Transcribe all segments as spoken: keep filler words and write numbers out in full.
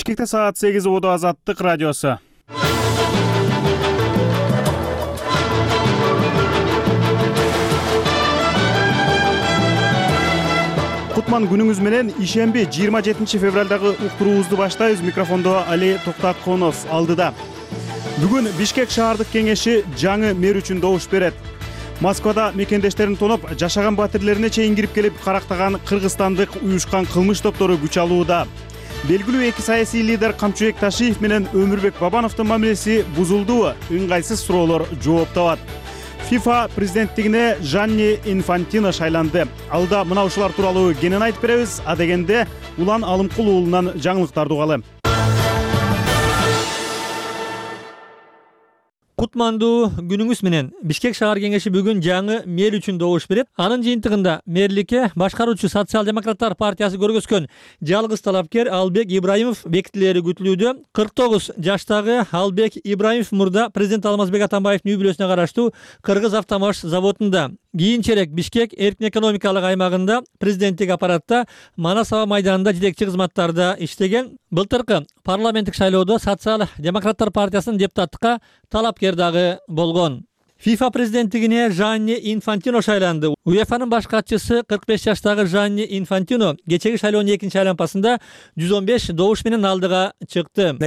Бишкекте саат сегиз убуду Азаттык радиосу. Кутман күнүңүз менен. Ишемби жыйырма жетинчи февралдагы уктуруубузду баштайбыз. Микрофондо Али Токтатконов алдыда. Бүгүн Бишкек шаардык кеңеши жаңы мэр үчүн добуш берет. Москвада мекендештерин тоноп, жашаган батирлерине чейин кирип келип карактаган кыргызстандык уюшкан кылмыш топтору күч алууда. Белгилүү эки саясий лидер Камчыбек Ташиев менен Өмүрбек Бабановдун мамилеси бузулдубу? Ыңгайсыз суроолор жооп табат. FIFA президенттигине Жанни Инфантино шайланды. Алда мына ушулар тууралуу кенен айтып беребиз. А дегенде Улан Алымкул уулунан жаңылыктарды угалы. Кутмандуу күнүңүз менен. Бишкек шаар кеңеши бүгүн жаңы мэр үчүн добуш берет. Анын жыйынтыгында мэрликке башкаруучу социал-демократтар партиясы көргөзгөн жалгыз талапкер Албек Ибраимов бекитилери күтүлүүдө. кырк тогуз жаштагы Албек Ибраимов мурда президент Алмазбек Атамбаевдин үй бүлөсүнө караштуу Кыргыз автомаш заводунда, кийинчерээк Бишкек эркин экономикалык аймагында президенттик аппаратта Манас аба майданында жетекчи кызматтарда иштеген. Былтыркы парламенттик шайлоодо социал-демократтар партиясынын депутаттыкка талапкер дагы болгон. FIFA президенттигине Жанни Инфантино шайланды. УЕФАнын баш катчысы кырк беш жаштагы Жанни Инфантино кечеги шайлоонун экинчи айланпасында жүз он беш добуш менен алдыга чыкты.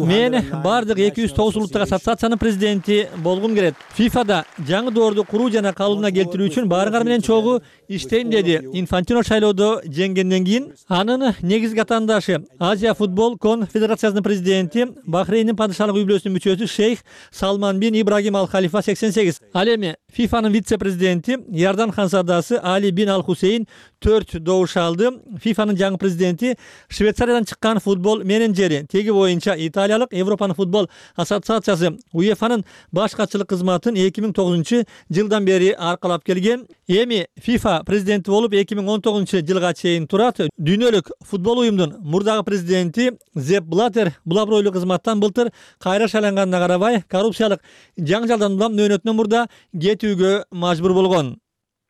Мен бардык эки жүз тогуз улуттук ассоциациянын президенти болгум келет. ФИФАда жаңы доорду куруу жана калыбына келтирүү үчүн баарыңар менен чогуу иштейм деди Инфантино шайлоодо жеңгенден кийин. Анын негизги атаандашы Азия футбол конфедерациясынын президенти, Бахрейндин падышалык үй бүлөсүнүн мүчөсү шейх Салман бин Ибрагим Ал Халифа сексен сегиз. Ал эми ФИФАнын вице-президенти Ярдан ханзадасы Али бин Ал Хусейн төрт добуш алды. ФИФАнын жаңы президенти Швейцариядан чыккан футбол менеджери, теги боюнча Италиялык Европанын футбол ассоциациясы УЕФАнын баш катчылык кызматын эки миң тогузунчу жылдан бери аркалап келген. Эми FIFA президенти болуп эки миң он тогузунчу жылга чейин турат. Дүйнөлүк футбол уюмдун мурдагы президенти Зеп Блаттер бул абройлуу кызматтан былтыр кайра шайланганына карабай, коррупциялык жаңжалдан улам нөөнөтүнөн мурда кетүүгө мажбур болгон.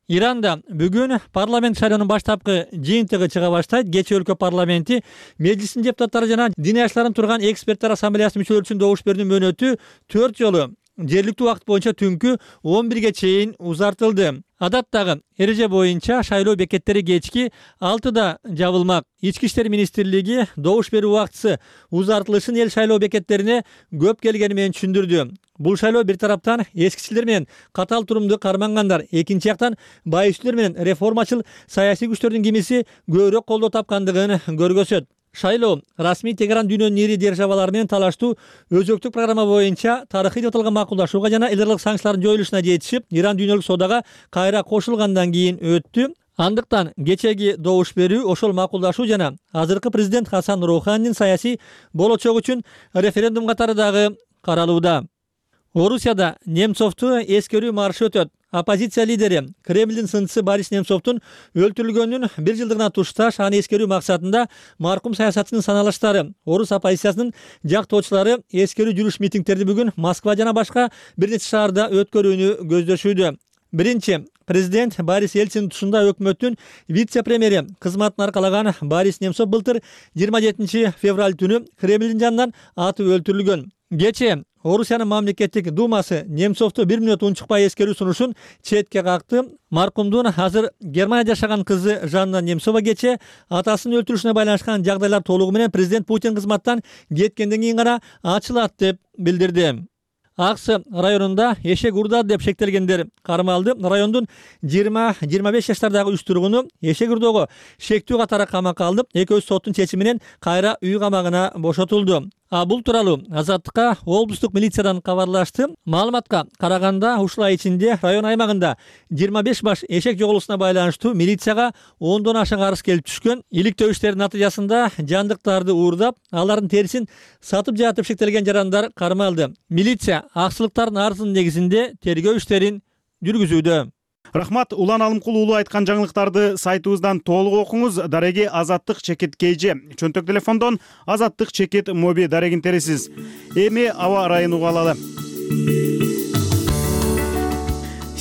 Иранда бүгүн парламент шайлоонун баштапкы жыйынтыгы чыга баштайт. Кечээ өлкө парламенти мejlisинин депутаттары жана дин аяштарын турган эксперттер ассамблеясынын мүчөлөрү үчүн добуш берүүнүн мөөнөтү төрт жолу жергиликтүү убакыт боюнча түнкү он бирге чейин узартылды. Адаттагы эреже боюнча шайлоо бекеттери кечки алтыда жабылмак. Ички иштер министрлиги добуш берүү убактысы узартылышын эл шайлоо бекеттерине көп келгени менен түшүндүрдү. Бул шайлоо бир тараптан эскичилер менен катал турумду кармангандар, экинчи жактан байчүлөр менен реформачыл саясий күчтөрдүн кимиси көбүрөөк колдоо тапкандыгын көргөзөт. Шайлоо расмий Тегеран дүйнөнүн ири державалары менен талаштуу өзөктүк программа боюнча тарыхый деп аталган макулдашууга жана эл аралык санкциялардын жоюлушуна жетишип, Иран дүйнөлүк соодага кайра кошулгандан кийин өттү. Андыктан кечеги добуш берүү ошол макулдашуу жана азыркы президент Хасан Роуханинин саясий болочогу үчүн референдум катары дагы каралууда. Орусияда Немцовду эскерүү маршы өтөт. Оппозиция лидери Кремлдин сынчысы Борис Немцовдун өлтүрүлгөнүнүн бир жылдыгына тушташ аны эскерүү максатында маркум саясатчынын саналыштары, орус оппозициясынын жактоочулары эскерүү жүрүш митингдерди бүгүн Москва жана башка бир нече шаарда өткөрүүнү көздөшүүдө. Биринчи президент Борис Ельцин тушунда өкмөттүн вице-премьери кызматын аркалаган Борис Немцов былтыр жыйырма жетинчи февраль түнү Кремлдин жанынан атып өлтүрүлгөн. Кечээ Орусиянын мамлекеттик думасы Немцовду бир мүнөт унчукпай эскерүү сунушун четке какты. Маркумдун азыр Германияда жашаган кызы Жанна Немцова кечээ атасынын өлтүрүшүнө байланышкан жагдайлар толугу менен президент Путин кызматтан кеткенден кийин гана ачылат деп билдирди. Аксы районунда эшек урдады деп шектелгендер кармалды. Райондун жыйырма жыйырма беш жаштардагы үч тургуну эшек урдоого шектүү катары камакка алынып, экөөсү соттун чечими менен кайра үй камагына бошотулду. А бул тууралуу Азаттыкка облустук милициядан кабарлашты. Маалыматка караганда ушул ай ичинде район аймагында жыйырма беш баш эшек жоголуусуна байланыштуу милицияга ондон ашык арыз келип түшкөн. Иликтөө иштеринин натыйжасында жандыктарды уурдап, алардын терисин сатып жатып шектелген жарандар кармалды. Милиция аксылыктардын арызынын негизинде тергөө иштерин жүргүзүүдө. Рахмат. Улан Алымкул уулу айткан жаңылыктарды сайтыбыздан толук окуңуз. Дареги Азаттык чекит кейжи. Чөнтөк телефондон Азаттык чекит моби дарегин тересиз. Эми аба ырайын угалалы.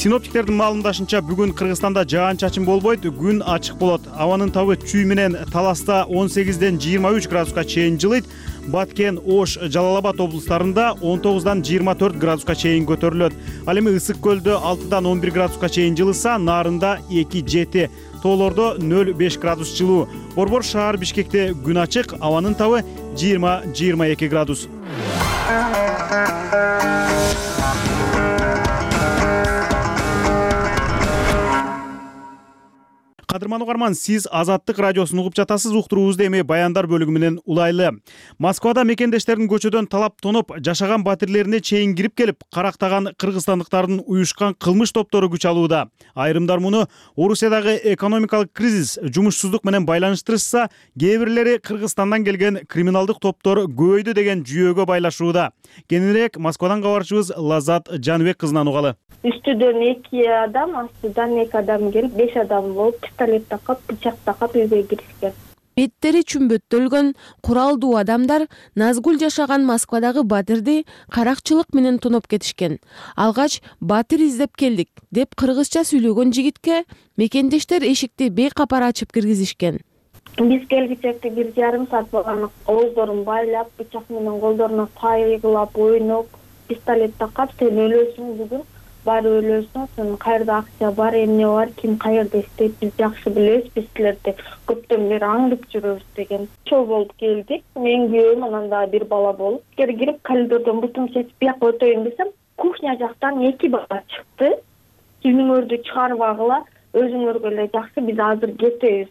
Синоптиктердин маалымдашынча бүгүн Кыргызстанда жаан-чачын болбойт, күн ачык болот. Абанын табы Чүй менен Таласта он сегизден жыйырма үч градуска чейин жылыйт. Баткен, Ош, Жалал Абад облустарында он тогуздан жыйырма төрт градуска чейин көтөрүлөт. Ал эми Ысык көлдө алтыдан он бир градуска чейин жылыса, Нарында эки жети, тоолордо нөл беш градус жылуу. Борбор шаар Бишкекте күн ачык, абанын табы жыйырма жыйырма эки градус. Кадырман угарман, сиз Азаттык радиосун угуп жатасыз. Уктуруубузду эми баяндар бөлүгү менен улайлы. Москвада мекендештердин көчөдөн талап тоноп, жашаган батирлерине чейин кирип келип, карактаган кыргызстандыктардын уюшкан кылмыш топтору күч алууда. Айрымдар муну Орусиядагы экономикалык кризис, жумушсуздук менен байланыштырышса, кээ бирлери Кыргызстандан келген криминалдык топтор көбөйдү деген жүйөгө байлашууда. Кененирээк Москвадан кабарчыбыз Лазат Жаныбек кызынан угалы. Үстүдөн эки адам, астыдан эки адам келип, беш адам болуп, пистолет такап, бычак такап үйгө киришкен. Беттери чүмбөттөлгөн куралдуу адамдар Назгүл жашаган Москвадагы батирди каракчылык менен тоноп кетишкен. Алгач батир издеп келдик деп кыргызча сүйлөгөн жигитке мекендештер эшикти бейкапара ачып киргизишкен. Биз келгичекте бир жарым саат болгон, ооздорун байлап, бычак менен колдоруна пайгылап, ойноп, пистолет такап, сен өлөсүң бүгүн, бар өлөсүң, сен кайерде акча бар, эмне бар, ким кайерде иштейт, биз жакшы билебиз, биз силерди көптөн бери аңдып жүрөбүз деген. Чоо болуп келдик. Мен күйөөм, анан дагы бир бала болуп, кирип коридордон бутум чечип бияка өтөйүн десем, кухня жактан эки бала чыкты. Түнүңөрдү чыгарбагыла, өзүңөргө эле жакшы, биз азыр кетебиз.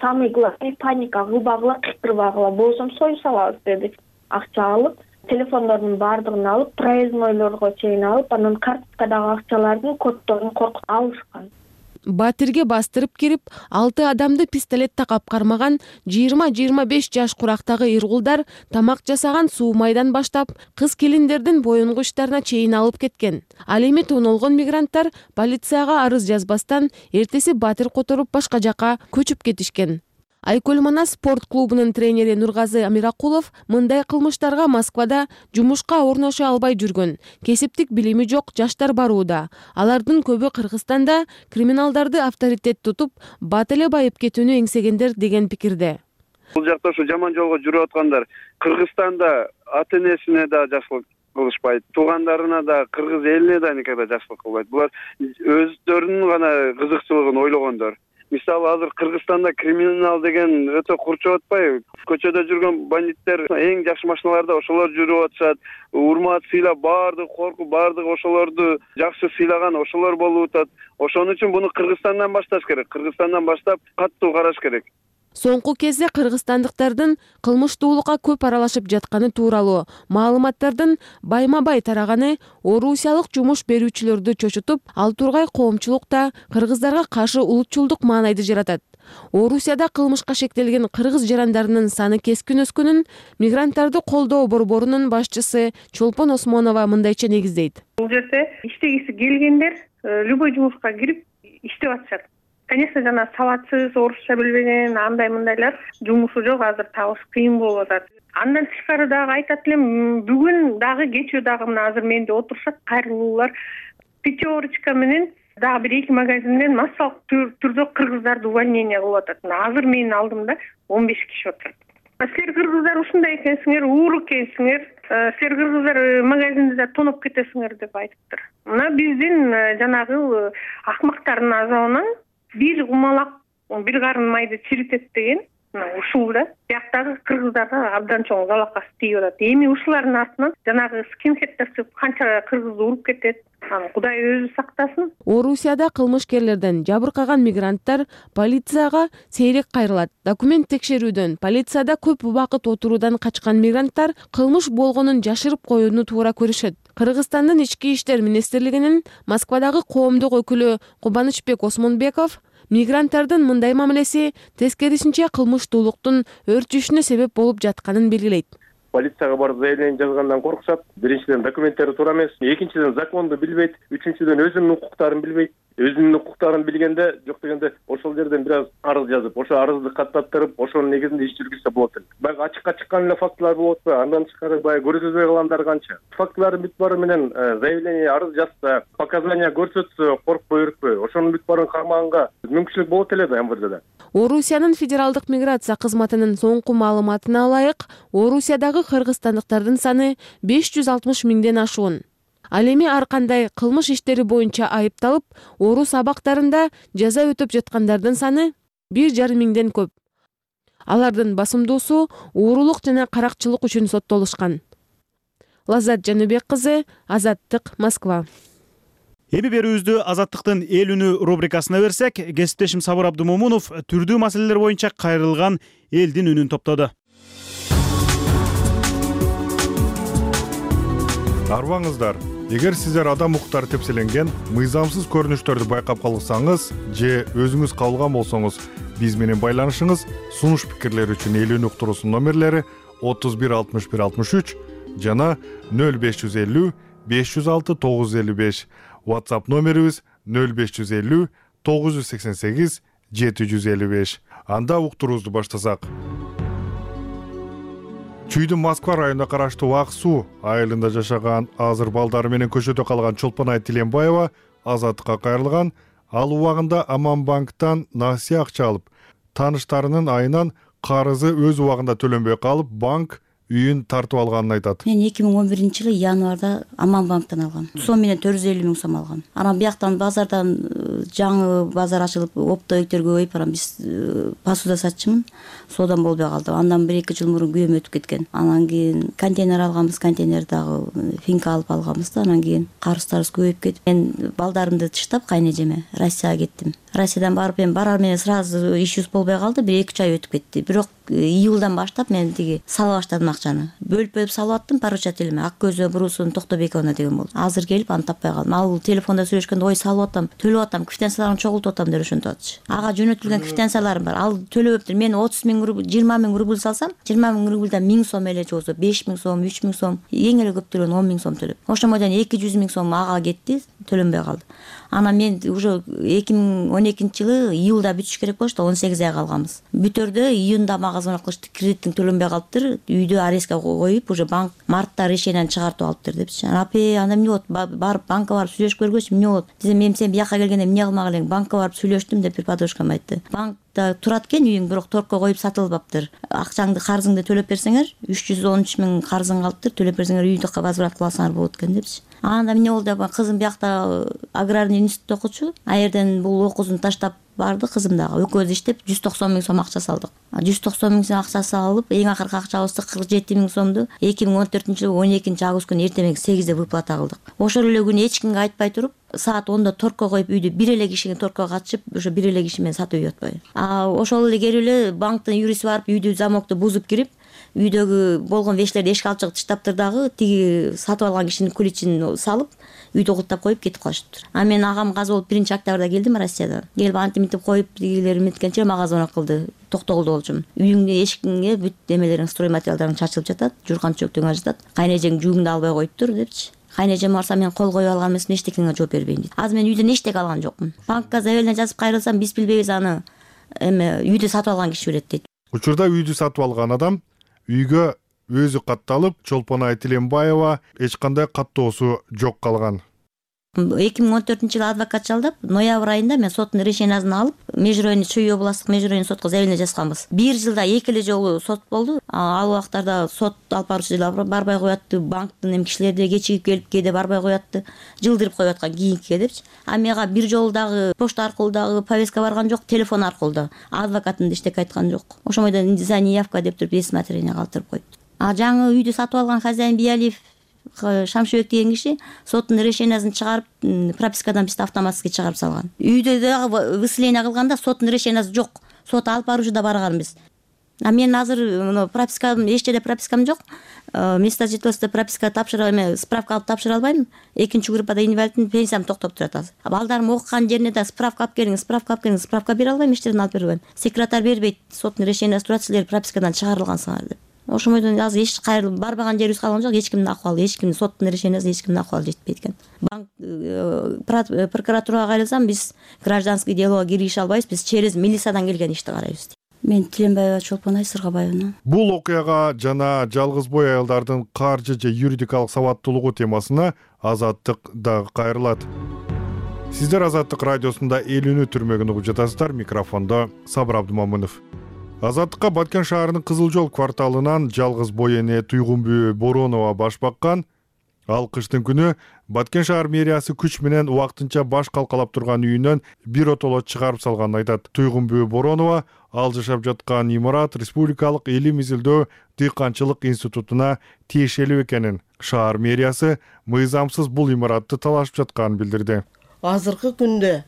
Самый главный паника кылбагыла, кыйкырбагыла, болсом союп салабыз деди. Акча алып, телефондордун баардыгын алып, проезднойлорго чейин алып, анан карточкадагы акчалардын коддорун коркуп алышкан. Батирге бастырып кирип, алты адамды пистолет такап кармаган жыйырма жыйырма беш жаш курактагы иргулдар тамак жасаган суу майдан баштап, кыз келиндердин боюнгу иштарына чейин алып кеткен. Ал эми тонолгон мигранттар полицияга арыз жазбастан эртеси батир которуп башка жака көчүп кетишкен. Айкөл Манас спорт клубунун тренери Нургазы Амиракулов мындай кылмыштарга Москвада жумушка орноша албай жүргөн, кесиптик билими жок жаштар барууда. Алардын көбү Кыргызстанда криминалдарды авторитет тутуп, бат эле байып кетүүнү эңсегендер деген пикирде. Бул жакта ушу жаман жолго жүрүп аткандар Кыргызстанда ата энесине да жакшылык кылышпайт, туугандарына да, кыргыз элине да никогда жакшылык кылбайт. Булар өздөрүнүн гана кызыкчылыгын ойлогондор. Мисалы азыр Кыргызстанда криминал деген өтө курчуп атпайбы? Көчөдө жүргөн бандиттер эң жакшы машиналарда ошолор жүрүп атышат. Урмат, сыйлап, баардык коркуп, баардык ошолорду жакшы сыйлаган ошолор болуп атат. Ошон үчүн буну Кыргызстандан башташ керек. Кыргызстандан баштап каттуу караш керек. Соңку кезде кыргызстандыктардын кылмыштуулукка көп аралашып жатканы тууралуу маалыматтардын байма-бай тараганы орусиялык жумуш берүүчүлөрдү чочутуп, ал тургай коомчулукта кыргыздарга каршы улутчулдук маанайды жаратат. Орусияда кылмышка шектелген кыргыз жарандарынын саны кескин өскөнүн мигранттарды колдоо борборунун башчысы Чолпон Осмонова мындайча негиздейт. Бул жерде иштегиси келгендер любой жумушка кирип иштеп атышат. Конечно, жана сабатсыз, орусча билбеген, андай мындайлар жумушу жок, азыр табыш кыйын болуп атат. Андан тышкары дагы айтат элем, бүгүн дагы кечээ дагы мына азыр менде отурушат кайрылуулар пятерочка менен дагы бир эки магазинден массалык түрдө кыргыздарды увольнение кылып атат. Азыр менин алдымда он беш киши отурат. Силер кыргыздар ушундай экенсиңер, уур экенсиңер, силер кыргыздар магазинди тоноп кетесиңер деп айтыптыр. Мына биздин жанагы акмактардын азабынан бир кумалак бир карын майды чиритет деген ушул да бияктагы кыргыздарга абдан чоң залакасы тийип атат. Эми ушулардын артынан жанагы скинхеддер чыгып канча кыргызды уруп кетет. Аны Кудай өзү сактасын. Орусияда кылмышкерлерден жабыркаган мигранттар полицияга сейрек кайрылат. Документ текшерүүдөн, полицияда көп убакыт отуруудан качкан мигранттар кылмыш болгонун жашырып коюуну туура көрүшөт. Кыргызстандын ички иштер министрлигинин Москвадагы коомдук өкүлү Кубанычбек Осмонбеков мигранттардын мындай мамилеси тескерисинче кылмыштуулуктун өрчүшүнө себеп болуп жатканын белгилейт. Полицияга барып заявление жазгандан коркушат. Биринчиден документтери туура эмес, экинчиден законду билбейт, үчүнчүдөн өзүнүн укуктарын билбейт. өзүнүн укуктарын билгенде жок дегенде ошол жерден бир аз арыз жазып, ошо арызды каттаттырып, ошонун негизинде иш жүргүзсө болот эле. Баягы ачыкка чыккан эле фактылар болуп атпайбы? Андан тышкары баягы көрсөтпөй калгандары канча? Фактылардын бүт баары менен заявление, арыз жазса, показания көрсөтсө, коркпой өрүкпөй, ошонун бүт баарын кармаганга мүмкүнчүлүк болот эле да эм вэ дэде. Орусиянын федералдык миграция кызматынын соңку маалыматына ылайык, Орусиядагы кыргызстандыктардын саны беш жүз алтымыш миңден ашуун. Ал эми ар кандай кылмыш иштери боюнча айыпталып, орус абактарында жаза өтөп жаткандардын саны бир жарым миңден көп. Алардын басымдуусу уурулук жана каракчылык үчүн соттолушкан. Лаззат Жаныбек кызы, Азаттык, Москва. Эми берүүбүздү Азаттыктын эл үнү рубрикасына берсек, кесиптешим Сабыр Абдумомунов түрдүү маселелер боюнча кайрылган элдин үнүн топтоду. Арбаңыздар, эгер сиздер адам укуктары тепселенген, мыйзамсыз көрүнүштөрдү байкап калсаңыз же өзүңүз кабылган болсоңуз, биз менен байланышыңыз. Сунуш пикирлер үчүн эл үнү уктуруусунун номерлери отуз бир алтымыш бир алтымыш үч жана нөл беш жүз элүү беш жүз алты тогуз жүз элүү беш. WhatsApp номерибиз нөл беш жүз элүү тогуз жүз сексен сегиз жети жүз элүү беш. Анда уктуруубузду баштасак. Чүйдүн Москва районуна караштуу Ак Суу айылында жашаган, азыр балдары менен көчөдө калган Чолпонай Тиленбаева Азаттыкка кайрылган. Ал убагында Аманбанктан насыя акча алып, тааныштарынын айынан карызы өз убагында төлөнбөй калып, банк үйүн тартып алганын айтат. Мен эки миң он биринчи жылы январда Аманбанктан алгам. Сом менен төрт жүз элүү миң сом алгам. Анан бияктан базардан жаңы базар ачылып, оптовиктер көбөйүп, анан биз посуда сатчымын. Содан болбой калды. Андан бир эки жыл мурун күйөөм өтүп кеткен. Анан кийин контейнер алганбыз, контейнер дагы финка алып алганбыз да, анан кийин карыздарыбыз көбөйүп кетип, мен балдарымды таштап кайнежеме Россияга кеттим. Россиядан барып мен барар менен сразу иш жүз болбой калды, бир эки үч ай өтүп кетти. Бирок июлдан баштап мен тиги сала баштадым акчаны. Бөлүп-бөлүп салып аттым поручателиме. Ак көзү Бурусун Токтобековна деген болду. Азыр келип аны таппай калдым. Ал телефонда сүйлөшкөндө ой салып атам, төлөп атам, квитанцияларын чогултуп атам деп ошентип атчы. Ага жөнөтүлгөн квитанцияларым бар. Ал төлөбөптүр. Мен отуз миң рубль, жыйырма миң рубль салсам, жыйырма миң рубльдан миң сом эле же болбосо беш миң сом, үч миң сом, эң эле көп төлөгөн он миң сом төлөп. Ошомойдон эки жүз миң сом ага кетти, төлөнбөй калды. Анан мен уже эки миң он экинчи жылы июлда бүтүш керек болчу, он сегиз ай калганбыз. Бүтөрдө июнда мага звонок кылышты, кредиттин төлөнбөй калыптыр, үйдө арестке коюп, уже банк мартта решениени чыгартып алыптыр депчи. Апе, анда эмне болот? Барып банкка барып сүйлөшүп көргөчү, эмне болот? Десем, мен сен бияка келгенде эмне кылмак элең? Банкка барып сүйлөштүм деп бир подружкам айтты. Банкта турат экен үйүң, бирок торгко коюп сатылбаптыр. Акчаңды, карызыңды төлөп берсеңер, үч жүз он үч миң карызың калыптыр, төлөп берсеңер үйдү возврат кыла алсаңар болот экен депчи. Анда эмне болду деп, кызым биякта аграрный институтта окучу. А жерден бул окуусун таштап барды, кызым дагы экөөбүз иштеп жүз токсон миң сом акча салдык. жүз токсон миң сом акчасы алып, эң акыркы акчабызды кырк жети миң сомду эки миң он төртүнчү жылы он экинчи август күнү эртең сегизде выплата кылдык. Ошол эле күнү эч кимге айтпай туруп, саат онда торгко коюп үйдү бир эле кишиге торгко катышып, ошо бир эле киши менен сатып үйүп атпайбы. А ошол эле келип эле банктын юристи барып үйдү замокту бузуп кирип, үйдөгү болгон вещтерди эшикке алып чыгып таштаптыр дагы, тиги сатып алган кишинин ключин салып, үйдө окуттап коюп кетип калышыптыр. А мен агам казы болуп биринчи октябрда келдим Россиядан. Келип антип мынтип коюп, тигилер меткенче мага звонок кылды. Токтогулда болчумун. Үйүңдүн эшигиңе бүт эмелериң, строй материалдарың чачылып жатат, журкан чөктөгөн жатат. Кайнежең жүгүңдү албай коюптур депчи. Кайнежем барса мен кол коюп алган эмесмин, эчтекеңе жооп бербейм дейт. Азыр мен үйдөн эчтеке алган жокмун. Банкка заявление жазып кайрылсам, биз билбейбиз, аны эме үйдү сатып алган киши билет дейт. Учурда үйдү сатып алган адам үйгө өзү катталып, Чолпонай Тиленбаева эч кандай каттоосу жок калган. эки миң он төртүнчү жылы адвокат жалдап, ноябрь айында мен соттун решениясын алып, межрайонный Чүй областтык межрайонный сотко заявление жазганбыз. Бир жылда эки эле жолу сот болду. Ал убактарда сот алып баруучулар барбай коятты, банктын эм кишилери да кечигип келип, кээде барбай коятты, жылдырып коюп аткан кийинкиге депчи. А мага бир жолу дагы почта аркылуу дагы повестка барган жок, телефон аркылуу да. Адвокатым да эчтеке айткан жок. Ошомойдон за неявка деп туруп эсматерение калтырып коюпту. А жаңы үйдү сатып алган хозяин Биялиев Шамшыбек деген киши соттун решениясын чыгарып, пропискадан бизди автоматически чыгарып салган. Үйдө дагы выселение кылганда соттун решениясы жок. Сот алып баруучу да барган биз. А мен азыр пропискам, эч жерде пропискам жок. Место жительства прописка тапшыра эме, справка алып тапшыра албайм. Экинчи группада инвалидтин пенсиям токтоп турат азыр. Балдарым окуган жерине да справка алып келиңиз, справка алып келиңиз, справка бере албайм, эч жерден алып бере албайм. Секретарь бербейт, соттун решениясы турат, силер пропискадан чыгарылгансыңар деп. ошондон азыр эч кайрылып барбаган жерибиз калган жок. Эч кимдин акыбалы, эч кимдин соттун решениясы эч кимдин акыбалы жетпейт экен. Банк прокуратурага кайрылсам, биз гражданский делого киргише албайбыз, биз через милициядан келген ишти карайбыз. Мен Тиленбаева Чолпон Айсыргабаевна. Бул окуяга жана жалгыз бой аялдардын каржы же юридикалык сабаттуулугу темасына Азаттык дагы кайрылат. Сиздер Азаттык радиосунда Элүүнү түрмөгүн угуп жатасыздар. Микрофондо Сабыр Абдымамынов. Азаттыкка Баткен шаарынын Кызыл жол кварталынан жалгыз бой эне Туйгунбү Боронова баш баккан. Ал кыштын күнү Баткен шаар мэриясы күч менен убактынча баш калкалап турган үйүнөн бир отолот чыгарып салганын айтат. Туйгунбү Боронова ал жашап жаткан имарат Республикалык илим изилдөө дыйканчылык институтуна тиешелүү экенин, шаар мэриясы мыйзамсыз бул имаратты талашып жатканын билдирди. Азыркы күндө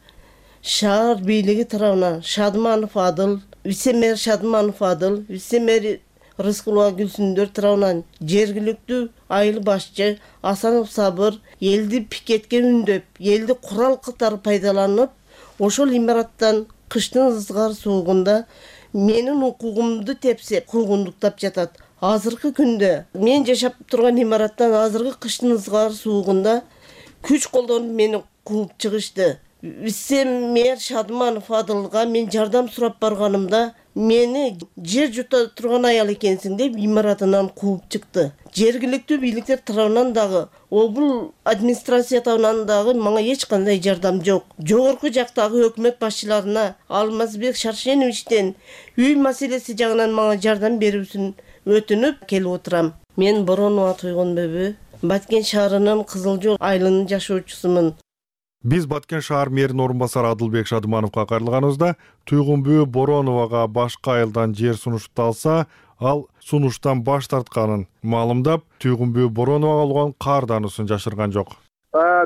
шаар бийлиги тарабынан Шадманов Адыл, вице-мэр Шадманов Адыл, вице-мэр Рыскулова Гүлсүндөр тарабынан жергиликтүү айыл башчы Асанов Сабыр элди пикетке үндөп, элди курал катары пайдаланып, ошол имараттан кыштын ызгар суугунда менин укугумду тепсеп, куугундуктап жатат. Азыркы күндө мен жашап турган имараттан азыркы кыштын ызгар суугунда күч колдонуп мени кууп чыгышты. Вице-мэр Шадманов Адылга мен жардам сурап барганымда мени жер жута турган аял экенсиң деп имаратынан кууп чыкты. Жергиликтүү бийликтер тарабынан дагы, облус администрация тарабынан дагы мага эч кандай жардам жок. Жогорку жактагы өкмөт башчыларына Алмазбек Шаршеновичтен үй маселеси жагынан мага жардам берүүсүн өтүнүп келип отурам. Мен Боронова Туйгунбү, Баткен шаарынын Кызыл жол айылынын жашоочусумун. Биз Баткен шаар мэринин орун басары Адылбек Шадмановго кайрылганыбызда Туйгунбү Бороновага башка айылдан жер сунушталса, ал сунуштан баш тартканын маалымдап, Туйгунбү Бороновага алган каардануусун жашырган жок.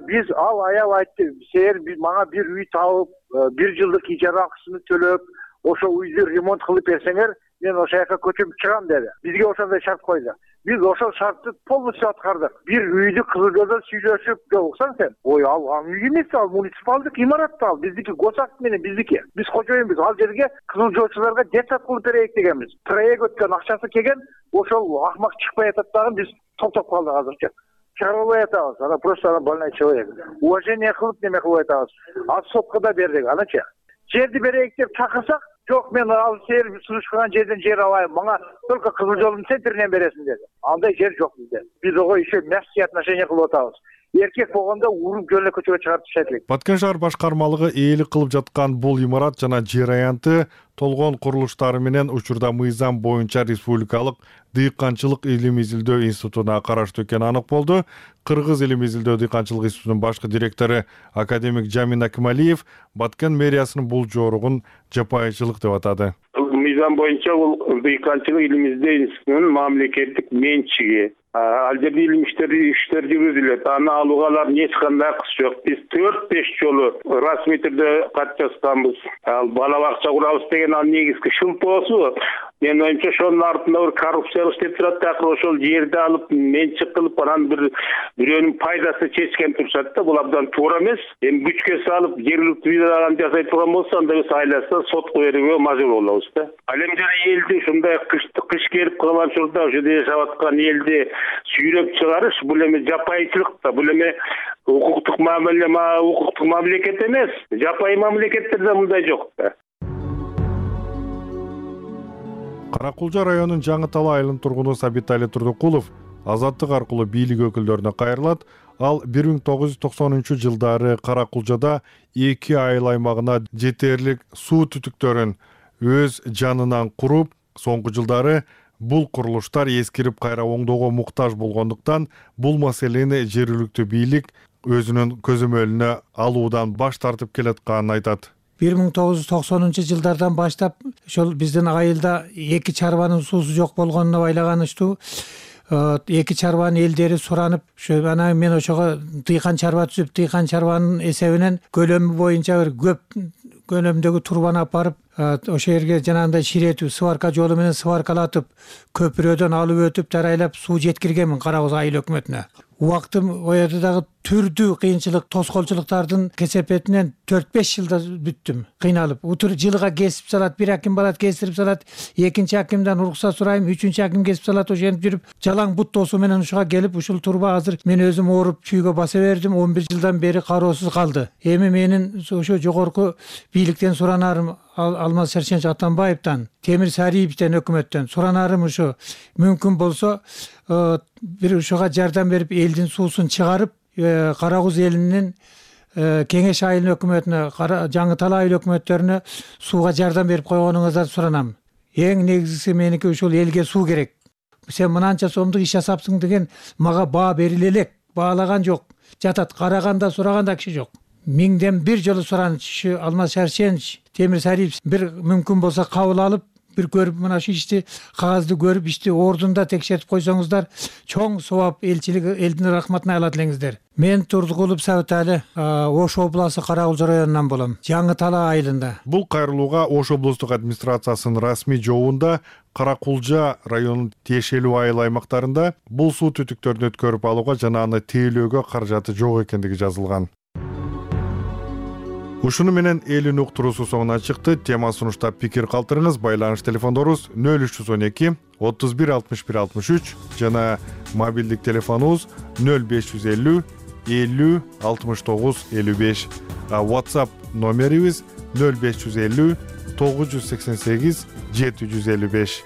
Биз ал аял айтты, сер мага бир үй табып, бир жылдык ижара акысын төлөп, ошо үйдү ремонт кылып берсеңер, мен ошол жака көчүп чыгам деди. Бизге ошондой шарт койду. Биз ошол шартты полностью аткардык. Бир үйдү Кызыл жолдо сүйлөшүп, жолуксаң сен, ой, ал үй эмес, ал муниципалдык имарат, ал биздики, госакт менен биздики. Биз кожоюнбуз, ал жерге кызыл жолчуларга детсад кылып берейик дегенбиз. Проект өткөн, акчасы келген, ошол акмак чыкпай атат дагы, биз токтоп калдык азырча. Чыгарбай атабыз, ана просто ана больной человек. Уважение кылып неме кылып атабыз. Ал сотко да бердик, аначы. Жерди берейик деп чакырсак, жок, мен ал сер сунуштаган жерден жер алайын, мага только Кызыл жолдун центринен бересиң деди. Андай жер жок бизде. Биз ого еще мягкие отношения кылып атабыз. Эркек болгондо уруп жөнө көчөгө чыгарып ташайт элек. Баткен шаар башкармалыгы ээлик кылып жаткан бул имарат жана жер аянты толгон курулуштары менен учурда мыйзам боюнча Республикалык дыйканчылык илим изилдөө институтуна караштуу экени анык болду. Кыргыз илим изилдөө дыйканчылык институтунун башкы директору академик Жамин Акималиев Баткен мэриясынын бул жоругун жапайычылык деп атады. Мыйзам боюнча бул дыйканчылык илим изилдөө институтунун мамлекеттик менчиги. Ал жерде илим иштери иштер жүргүзүлөт. Аны алууга алардын эч кандай акысы жок. Биз төрт беш жолу расмий түрдө кат жазганбыз. Ал бала бакча курабыз деген ал негизги шылтоосу. Мен оюмча ошонун артында бир коррупциялык иштеп турат да, ошол жерди алып менчик кылып, анан бир бирөөнүн пайдасы чечкен турушат да. Бул абдан туура эмес. Эми күчкө салып жергиликтүү бирөөнүн жасай турган болсо, анда биз айласа сотко берүүгө мажбур болобуз да. Ал эми жана элди ушундай кышты кыш келип калган учурда ошо жерде жашап аткан элди сүйрөп чыгарыш, бул эми жапайычылык да, бул эми укуктук мамиле, укуктук мамлекет эмес. Жапайы мамлекеттерде мындай жок да. Каракулжа районунун Жаңы Тала айылынын тургуну Сабитали Турдукулов Азаттык аркылуу бийлик өкүлдөрүнө кайрылат. Ал бир миң тогуз жүз токсонунчу жылдары Каракулжада эки айыл аймагына жетерлик суу түтүктөрүн өз жанынан куруп, соңку жылдары бул курулуштар эскирип кайра оңдоого муктаж болгондуктан бул маселени жергиликтүү бийлик өзүнүн көзөмөлүнө алуудан баш тартып келатканын айтат. бир миң тогуз жүз токсонунчу жылдардан баштап ошол биздин айылда эки чарбанын суусу жок болгонуна байлаганычтуу эки чарбанын элдери суранып, ошо анан мен ошого дыйкан чарба түзүп, дыйкан чарбанын эсебинен көлөмү боюнча бир көп көлөмдөгү турбаны алып барып, ошол жерге жанагындай ширетип, сварка жолу менен сваркалатып, көпүрөдөн алып өтүп, жарайлап суу жеткиргенмин Кара Куз айыл өкмөтүнө. убактым ояды дагы түрдүү кыйынчылык тоскоолчулуктардын кесепетинен төрт беш жылда бүттүм кыйналып. Утур жылга кесип салат, бир аким барат кестирип салат, экинчи акимден уруксат сурайм, үчүнчү аким кесип салат, ошентип жүрүп жалаң бут досу менен ушуга келип ушул турба азыр мен өзүм ооруп чүйгө баса бердим, он бир жылдан бери кароосуз калды. Эми менин ошо жогорку бийликтен суранарым Алмаз Шаршенч Атамбаевден, Темир Сариевден, өкмөттөн суранарым ушу мүмкүн болсо бир ушуга жардам берип элдин суусун чыгарып, Кара Куз элинин Кеңеш айылы өкмөтүнө, Жаңы Талай айыл өкмөттөрүнө сууга жардам берип койгонуңузду суранам. Эң негизгиси меники ушул элге суу керек. Сен мынанча сомдук иш жасапсың деген мага баа бериле элек, баалаган жок. Жатат, караганда сураганда киши жок. Миңден бир жолу сураныч Алмаз Шаршенч, Темир Сариев бир мүмкүн болсо кабыл алып, бир көрүп мына ушу ишти кагазды көрүп ишти ордунда текшертип койсоңуздар, чоң совап элчилик элдин рахматына алат элеңиздер. Мен Турдукулов Сабытали, Ош областы Кара Куз районунан болом, Жаңы Талай айылында. Бул кайрылууга Ош облустук администрациясынын расмий жообунда Кара Кулжа районунун тиешелүү айыл аймактарында бул суу түтүктөрүн өткөрүп алууга жана аны тейлөөгө каражаты жок экендиги жазылган. Ушуну менен элин уктуруусу соңуна чыкты. Тема сунуштап пикир калтырыңыз. Байланыш телефондорубуз нөл үч жүз он эки отуз бир алтымыш бир алтымыш үч жана мобилдик телефонубуз нөл беш жүз элүү элүү алтымыш тогуз элүү беш. WhatsApp номерибиз нөл беш жүз элүү тогуз жүз сексен сегиз жети жүз элүү беш.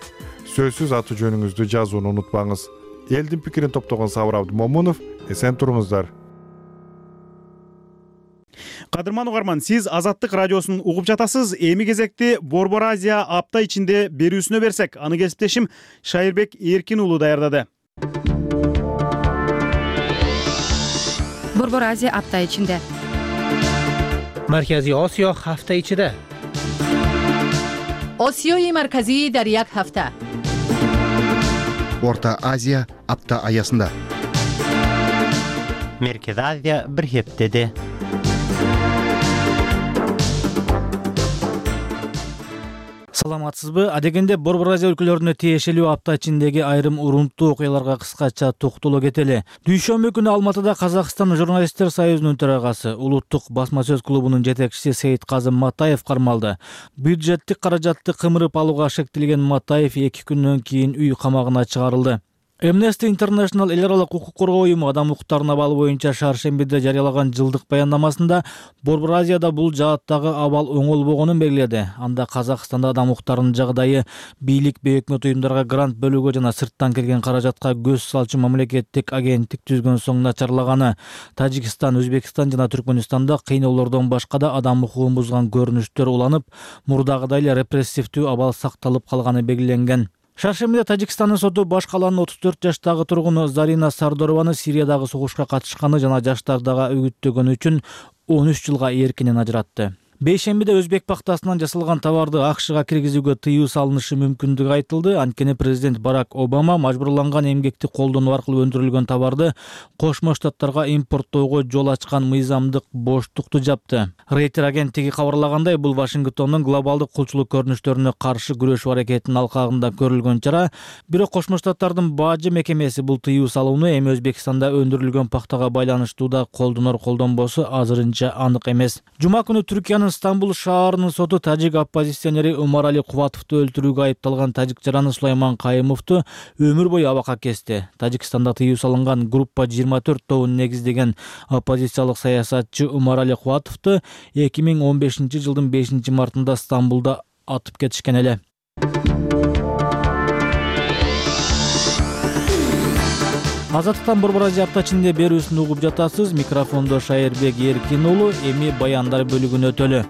Сөзсүз аты жөнүңүздү жазууну унутпаңыз. Элдин пикирин топтогон Сабыр Абдымомунов, эсен туруңуздар. Кадырман угарман, сиз Азаттык радиосун угуп жатасыз. Эми кезекти Борбор Азия апта ичинде берүүсүнө берсек, аны кесиптешим Шайырбек Эркин уулу даярдады. Борбор Азия апта ичинде. Маркази Осиё ҳафта ичида. Осиёи марказӣ дар як ҳафта. Орта Азия апта аясында. Меркез Азия бир ҳептеде. Саламатсызбы? Адегенде Борбор Азия өлкөлөрүнө тиешелүү апта ичиндеги айрым урунттуу окуяларга кыскача токтоло кетели. Дүйшөмбү күнү Алматыда Казакстан журналисттер союзунун төрагасы, улуттук басма сөз клубунун жетекчиси Сейитказым Матаев кармалды. Бюджеттик каражатты кымырып алууга шектелген Матаев эки күндөн кийин үй камагына чыгарылды. Amnesty International эл аралык укук коргоо уюму адам укуктарына абалы боюнча шаршембиде жарыялаган жылдык баяндамасында Борбор Азияда бул жааттагы абал оңолбогонун белгиледи. Анда Казакстанда адам укуктарынын жагдайы бийлик бе өкмөт уюмдарга грант бөлүүгө жана сырттан келген каражатка көз салчу мамлекеттик агенттик түзгөн соң начарлаганы, Тажикстан, Өзбекстан жана Түркмөнстанда кыйноолордон башка да адам укугун бузган көрүнүштөр уланып, мурдагыдай эле репрессивдүү абал сакталып калганы белгиленген. Шаршембиде Тажикстандын соту баш калаанын отуз төрт жаштагы тургуну Зарина Сардорованы Сириядагы согушка катышканы жана жаштардагы үгүттөгөнү үчүн он үч жылга эркинен ажыратты. Бейшембиде өзбек пактасынан жасалган товарды АКШга киргизүүгө тыюу салынышы мүмкүндүгү айтылды. Анткени президент Барак Обама мажбурланган эмгекти колдонуу аркылуу өндүрүлгөн товарды Кошмо Штаттарга импорттоого жол ачкан мыйзамдык боштукту жапты. Рейтер агенттиги кабарлагандай, бул Вашингтондун глобалдык кулчулук көрүнүштөрүнө каршы күрөшүү аракетинин алкагында көрүлгөн чара. Бирок Кошмо Штаттардын бажы мекемеси бул тыюу салууну эми Өзбекстанда өндүрүлгөн пактага байланыштуу да колдонор колдонбосу азырынча анык эмес. Жума күнү Түркиянын Стамбул шаарынын соту тажик оппозиционери Умарали Кубатовду өлтүрүүгө айыпталган тажик жараны Сулайман Кайымовду өмүр бою абакка кести. Тажикстанда тыюу салынган группа жыйырма төрт тобун негиздеген оппозициялык саясатчы Умарали Кубатовду эки миң он бешинчи жылдын бешинчи мартында Стамбулда атып кетишкен эле. Азаттыктан Борбор Азия апта ичинде берүүсүн угуп жатасыз. Микрофондо Шайырбек Эркин уулу, эми баяндар бөлүгүнө өтөлү.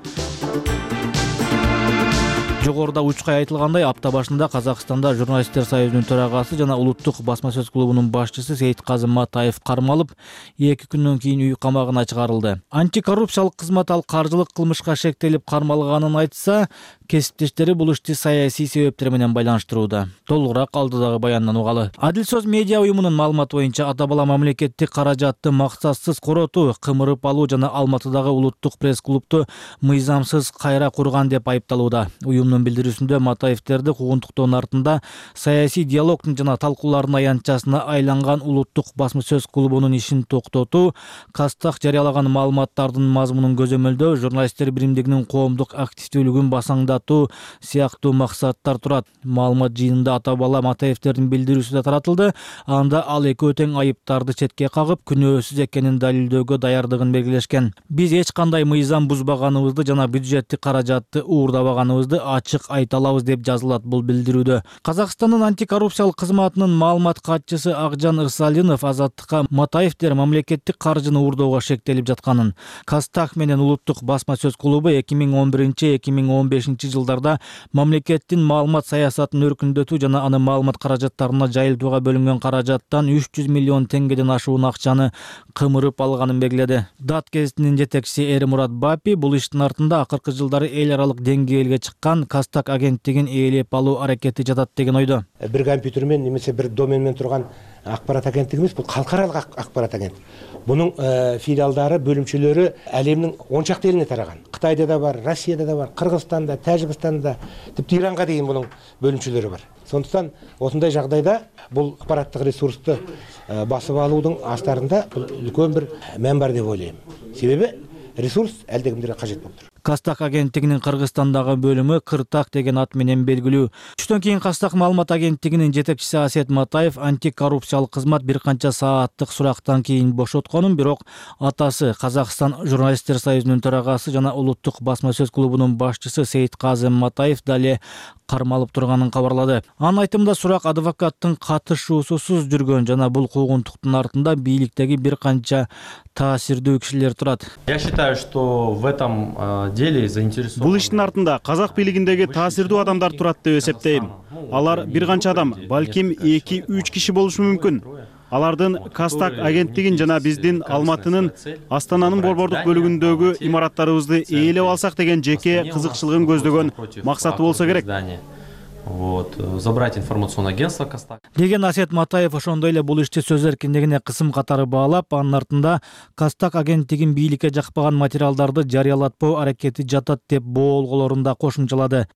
Жогоруда учкай айтылгандай, апта башында Казакстанда журналисттер союзунун төрагасы жана улуттук басма сөз клубунун башчысы Сейитказым Матаев кармалып, эки күндөн кийин үй камагына чыгарылды. Антикоррупциялык кызмат ал каржылык кылмышка шектелип кармалганын айтса, кесиптештери бул ишти саясий себептер менен байланыштырууда. Толугураак алдыдагы баяндан угалы. Адил сөз медиа уюмунун маалыматы боюнча ата бала мамлекеттик каражатты максатсыз коротуу, кымырып алуу жана Алматыдагы улуттук пресс-клубду мыйзамсыз кайра курган деп айыпталууда. Уюмдун клубунун билдирүүсүндө Матаевтерди куугунтуктоонун артында саясий диалогдун жана талкуулардын аянтчасына айланган улуттук басма сөз клубунун ишин токтотуу, Кастак жарыялаган маалыматтардын мазмунун көзөмөлдөө, журналисттер биримдигинин коомдук активдүүлүгүн басаңдатуу сыяктуу максаттар турат. Маалымат жыйынында ата бала Матаевтердин билдирүүсү да таратылды. Анда ал экөө тең айыптарды четке кагып, күнөөсүз экенин далилдөөгө даярдыгын белгилешкен. Биз эч кандай мыйзам бузбаганыбызды жана бюджеттик каражатты уурдабаганыбызды ачык айта алабыз деп жазылат бул билдирүүдө. Казакстандын антикоррупциялык кызматынын маалымат катчысы Акжан Ырсалинов Азаттыкка Матаевтер мамлекеттик каржыны уурдоого шектелип жатканын, Кастак менен улуттук басма сөз клубу эки миң он биринчи эки миң он бешинчи жылдарда мамлекеттин маалымат саясатын өркүндөтүү жана анын маалымат каражаттарына жайылтууга бөлүнгөн каражаттан үч жүз миллион теңгеден ашуун акчаны кымырып алганын белгиледи. Дат гезитинин жетекчиси Эрмурат Бапи бул иштин артында акыркы жылдары эл аралык деңгээлге чыккан Кастак агенттигин ээлеп алуу аракети жатат деген ойдо. Бир компьютер менен немесе бир домен менен турган акпарат агенттиги эмес, бул калкаралык акпарат агенттиги. Бунун филиалдары, бөлүмчөлөрү әлемнин он чакты элине тараган. Кытайда да бар, Россияда да бар, Кыргызстанда, Тажикстанда, типти Иранга дейин бунун бөлүмчөлөрү бар. Сондуктан осундай жагдайда бул аппараттык ресурсту басып алуудун астарында үлкөн бир мән бар деп ойлойм. Себеби ресурс элдегимдерге кажет болуп тур. Кастак агенттигинин Кыргызстандагы бөлүмү Кыртак деген ат менен белгилүү. Түштөн кийин Кастак маалымат агенттигинин жетекчиси Асет Матаев антикоррупциялык кызмат бир канча сааттык сурактан кийин бошотконун, бирок атасы Казакстан журналисттер союзунун төрагасы жана улуттук басма сөз клубунун башчысы Сейитказым Матаев дале кармалып турганын кабарлады. Анын айтымында сурак адвокаттын катышуусусуз жүргөн жана бул куугунтуктун артында бийликтеги бир канча таасирдүү кишилер турат. Я считаю, что в этом деле заинтересованы. Бул иштин артында казак бийлигиндеги таасирдүү адамдар турат деп эсептейм. Алар бир канча адам, балким эки үч киши болушу мүмкүн. Алардын Кастак агенттигин жана биздин Алматынын Астананын борбордук бөлүгүндөгү имараттарыбызды ээлеп алсак деген жеке кызыкчылыгын көздөгөн максаты болсо керек. Вот, забрать информационное агентство Кастак. Деген Асет Матаев ошондой эле бул ишти сөз эркиндигине кысым катары баалап, анын артында Кастак агенттигин бийликке жакпаган материалдарды жарыялатпоо аракети жатат деп боолголорун да кошумчалады.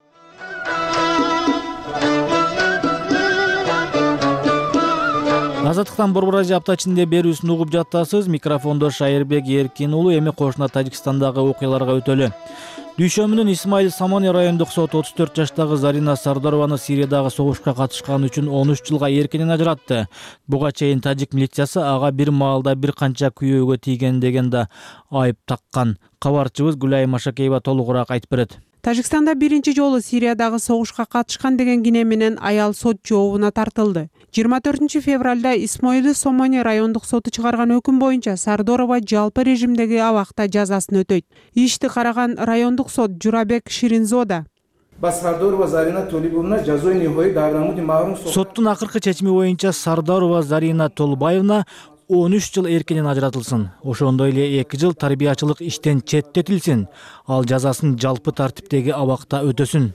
Азаттыктан Борбор Азия апта ичинде берүүсүн угуп жатасыз. Микрофондо Шайырбек Эркин уулу. Эми кошуна Тажикстандагы окуяларга өтөлү. Дүйшөмүнүн Исмаил Самони райондук соту отуз төрт жаштагы Зарина Сардарованы Сириядагы согушка катышканы үчүн он үч жылга эркинен ажыратты. Буга чейин тажик милициясы ага бир маалда бир канча күйөөгө тийген деген да айып таккан. Кабарчыбыз Гүлай Машакеева толугураак айтып берет. Тажикстанда биринчи жолу Сириядагы согушка катышкан деген кине менен аял сот жообуна тартылды. жыйырма төртүнчү февралда Исмаил Самони райондук соту чыгарган өкүм боюнча Сардорова жалпы режимдеги абакта жазасын өтөйт. Ишти караган райондук сот Журабек Ширинзода соттун акыркы чечими боюнча Сардарова Зарина Толбаевна он үч жыл эркинен ажыратылсын. Ошондой эле эки жыл тарбиячылык иштен четтетилсин. Ал жазасын жалпы тартиптеги абакта өтөсүн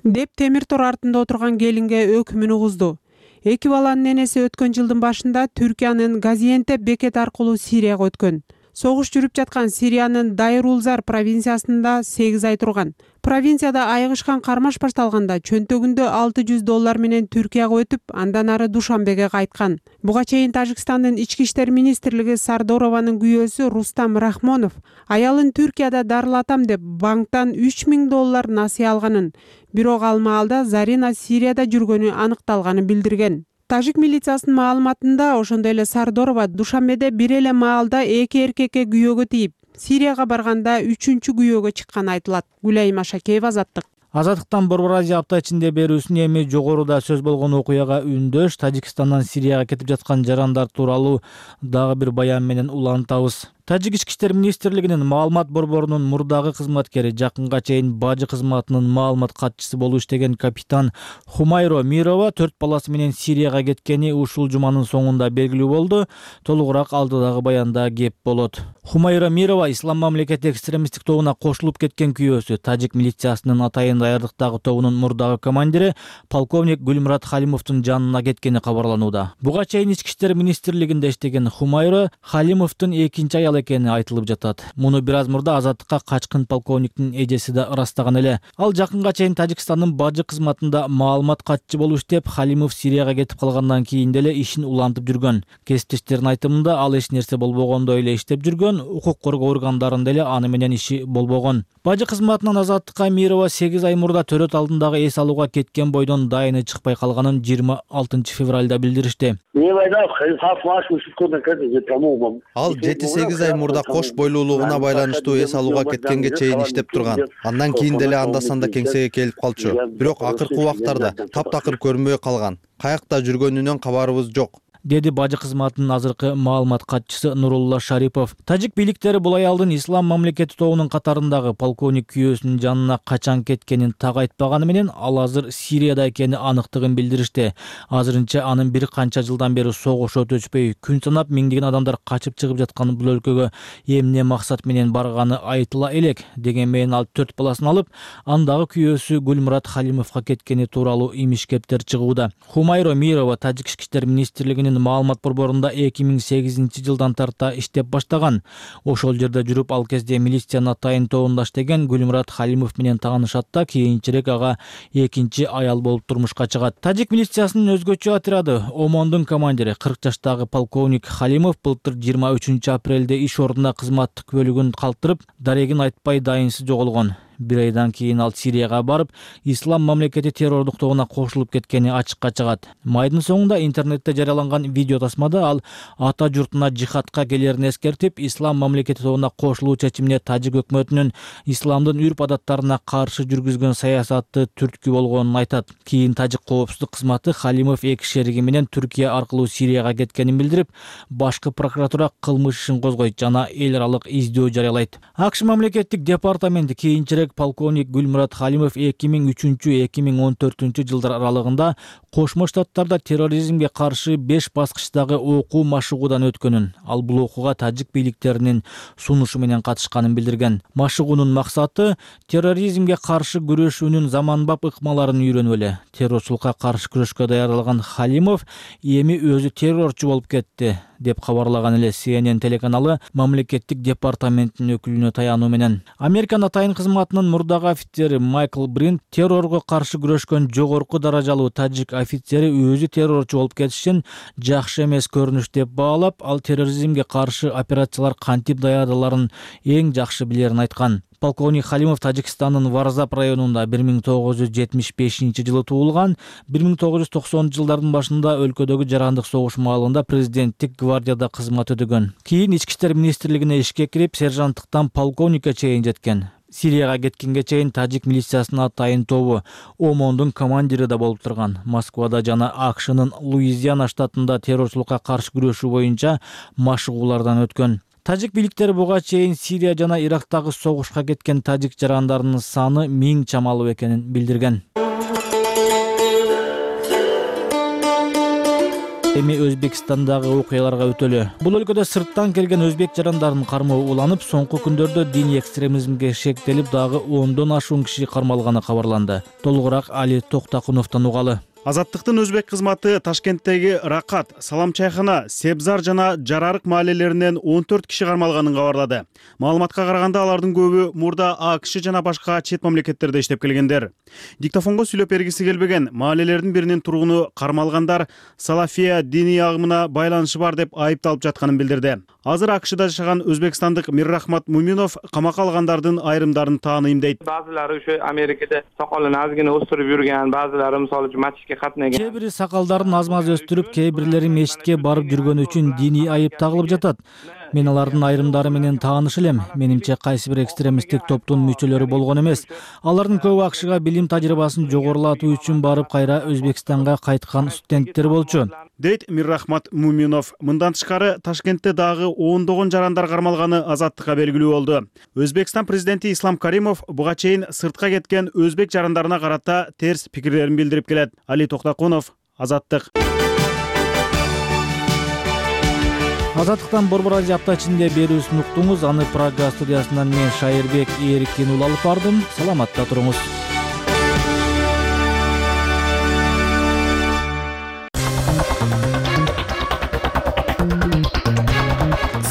деп темир тор артында отурган келинге өкүмүн угузду. Эки баланын энеси өткөн жылдын башында Түркиянын Газиентеп бекети аркылуу Сирияга өткөн. Согуш жүрүп жаткан Сириянын Дайрулзар провинциясында сегиз ай турган. Провинцияда айыгышкан кармаш башталганда чөнтөгүндө алты жүз доллар менен Түркияга өтүп, андан ары Душанбеге кайткан. Буга чейин Тажикстандын ички иштер министрлиги Сардорованын күйөөсү Рустам Рахмонов аялын Түркияда дарылатам деп банктан үч миң доллар насыя алганын, бирок ал маалда Зарина Сирияда жүргөнү аныкталганын билдирген. Тажик милициясынын маалыматында ошондой эле Сардорова Душанбеде бир эле маалда эки эркекке күйөөгө тийип, Сирияга барганда үчүнчү күйөөгө чыкканы айтылат. Гүлай Машакеева, Азаттык. Азаттыктан Борбор Азия апта ичинде берүүсүн эми жогоруда сөз болгон окуяга үндөш Тажикстандан Сирияга кетип жаткан жарандар тууралуу дагы бир баян менен улантабыз. Тажик ички иштер министрлигинин маалымат борборунун мурдагы кызматкери, жакынга чейин бажы кызматынын маалымат катчысы болуп иштеген капитан Хумайро Мирова төрт баласы менен Сирияга кеткени ушул жуманын соңунда белгилүү болду. Толугураак алдыдагы баянда кеп болот. Хумайро Мирова Ислам мамлекети экстремисттик тобуна кошулуп кеткен күйөөсү. Тажик милициясынын атайын даярдыктагы тобунун мурдагы командири полковник Гүлмурат Халимовдун жанына кеткени кабарланууда. Буга чейин ички иштер министрлигинде иштеген Хумайро Халимовдун экинчи аялы жалал экени айтылып жатат. Муну бир аз мурда Азаттыкка качкын полковниктин эжеси да ырастаган эле. Ал жакынга чейин Тажикстандын бажы кызматында маалымат катчы болуп иштеп, Халимов Сирияга кетип калгандан кийин деле ишин улантып жүргөн. Кесиптештердин айтымында ал эч нерсе болбогондой эле иштеп жүргөн, укук коргоо органдарында деле аны менен иши болбогон. Бажы кызматынан Азаттыкка Мирова сегиз ай мурда төрөт алдындагы эс алууга кеткен бойдон дайыны чыкпай калганын жыйырма алтынчы февралда билдиришти. Ал жети сегиз ай мурда кош бойлуулугуна байланыштуу эс алууга кеткенге чейин иштеп турган. Андан кийин деле анда-санда кеңсеге келип калчу. Бирок акыркы убактарда таптакыр көрүнбөй калган. Каякта жүргөнүнөн кабарыбыз жок, деди бажы кызматынын азыркы маалымат катчысы Нурулла Шарипов. Тажик бийликтери бул аялдын Ислам мамлекети тобунун катарындагы полковник күйөөсүнүн жанына качан кеткенин так айтпаганы менен, ал азыр Сирияда экени аныктыгын билдиришти. Азырынча анын бир канча жылдан бери согуш өтүшпөй, күн санап миңдеген адамдар качып чыгып жаткан бул өлкөгө эмне максат менен барганы айтыла элек. Деген менен ал төрт баласын алып, андагы күйөөсү Гүлмурат Халимовго кеткени тууралуу имиш-кептер чыгууда. Хумайро Мирова Тажик ички иштер министрлигинин маалымат борборунда эки миң сегизинчи жылдан тарта иштеп баштаган. Ошол жерде жүрүп, ал кезде милициянын атайын тобунда иштеген Гүлмурат Халимов менен таанышат да, кийинчерээк ага экинчи аял болуп турмушка чыгат. Тажик милициясынын өзгөчө отряды Омондун командири кырк жаштагы полковник Халимов былтыр жыйырма үчүнчү апрелде иш ордуна кызматтык бөлүгүн калтырып, дарегин айтпай дайынсыз жоголгон. Бир айдан кийин ал Сирияга барып, Ислам мамлекети террордук тобуна кошулуп кеткени ачыкка чыгат. Майдын соңунда интернетте жарыяланган видео тасмада ал ата журтуна жихадка келерин эскертип, Ислам мамлекети тобуна кошулуу чечимине Тажик өкмөтүнүн исламдын үрп-адаттарына каршы жүргүзгөн саясаты түрткү болгонун айтат. Кийин Тажик коопсуздук кызматы Халимов эки шериги менен Түркия аркылуу Сирияга кеткенин билдирип, башкы прокуратура кылмыш ишин козгойт жана эл аралык издөө жарыялайт. АКШ мамлекеттик департаменти кийинчерээк полковник Гүлмурат Халимов эки миң үчүнчү - эки миң он төртүнчү жылдар аралыгында Кошмо Штаттарда терроризмге каршы беш баскычтагы окуу машыгуудан өткөнүн, ал бул окууга тажик бийликтеринин сунушу менен катышканын билдирген. Машыгуунун максаты терроризмге каршы күрөшүүнүн заманбап ыкмаларын үйрөнүү эле. Террорчулукка каршы күрөшкө даярдалган Халимов эми өзү террорчу болуп кетти, деп кабарлаган эле Си Эн Эн телеканалы мамлекеттик департаменттин өкүлүнө таянуу менен. Американын атайын кызматынын мурдагы офицери Майкл Бринт террорго каршы күрөшкөн жогорку даражалуу тажик офицери өзү террорчу болуп кетишин жакшы эмес көрүнүш деп баалап, ал терроризмге каршы операциялар кантип даярдаларын эң жакшы билерин айткан. Полковник Халимов Тажикстандын Варзап районунда бир миң тогуз жүз жетимиш бешинчи жылы туулган. бир миң тогуз жүз токсонунчу жылдардын башында өлкөдөгү жарандык согуш маалында президенттик гвардияда кызмат өтөгөн. Кийин ички иштер министрлигине ишке кирип, сержанттыктан полковникке чейин жеткен. Сирияга кеткенге чейин тажик милициясынын атайын тобу Омондун командири да болуп турган. Москвада жана АКШнын Луизиана штатында террорчулукка каршы күрөшүү боюнча машыгуулардан өткөн. Тажик бийликтери буга чейин Сирия жана Ирактагы согушка кеткен тажик жарандарынын саны миң чамалуу экенин билдирген. Эми Өзбекстандагы окуяларга өтөлү. Бул өлкөдө сырттан келген өзбек жарандарынын кармоо уланып, соңку күндөрдө диний экстремизмге шектелип, дагы ондон ашуун киши кармалганы кабарланды. Толугураак Али Токтакуновдон угалы. Азаттыктын өзбек кызматы Ташкенттеги Ракат, Салам чайхана, Себзар жана Жарарык маалелеринен он төрт киши кармалганын кабарлады. Маалыматка караганда алардын көбү мурда АКШ жана башка чет мамлекеттерде иштеп келгендер. Диктофонго сүйлөп бергиси келбеген маалелердин биринин тургуну кармалгандар Салафия диний агымына байланышы бар деп айыпталып жатканын билдирди. Азыр АКШда жашаган өзбекстандык Миррахмат Муминов камакка алгандардын айрымдарын тааныйм дейт. Баазылары ошо Америкада сакалын азгыны өстүрүп жүргөн, баазылары мисалы үчүн матчке катнаган. Кээ бири сакалдарын аз-маз өстүрүп, кээ бирлери мечитке барып жүргөнү үчүн диний айып тагылып жатат. Мен алардын айрымдары менен тааныш элем. Менимче кайсы бир экстремисттик топтун мүчөлөрү болгон эмес. Алардын көбү АКШга билим тажрыйбасын жогорулатуу үчүн барып, кайра Өзбекстанга кайткан студенттер болчу, дейт Миррахмат Муминов. Мындан тышкары Ташкентте дагы ондогон жарандар кармалганы Азаттыкка белгилүү болду. Өзбекстан президенти Ислам Каримов буга чейин сыртка кеткен өзбек жарандарына карата терс пикирлерин билдирип келет. Али Токтакунов, Азаттык. Азаттыктан Борбор Азия апта ичинде берүүсүн уктуңуз. Аны Прага студиясынан мен Шайырбек Эрикин ул алып бардым. Саламатта туруңуз.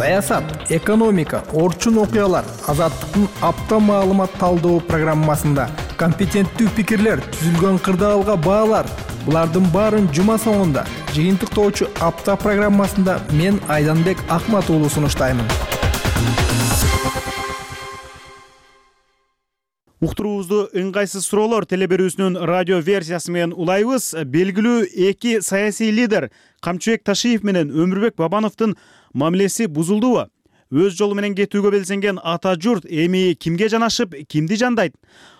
саясат, экономика, орчун окуялар Азаттыктын апта маалымат талдоо программасында компетенттүү пикирлер, түзүлгөн кырдаалга баалар. Булардын баарын жума соңунда жыйынтыктоочу апта программасында мен Айданбек Акмат уулу сунуштаймын. Уктуруубузду ыңгайсыз суроолор телеберүүсүнүн радио версиясы менен улайбыз. Белгилүү эки саясий лидер Камчыбек Ташиев менен Өмүрбек Бабановдун мамилеси бузулдубу? Өз жолу менен кетүүгө белсенген ата журт эми кимге жанашып, кимди жандайт?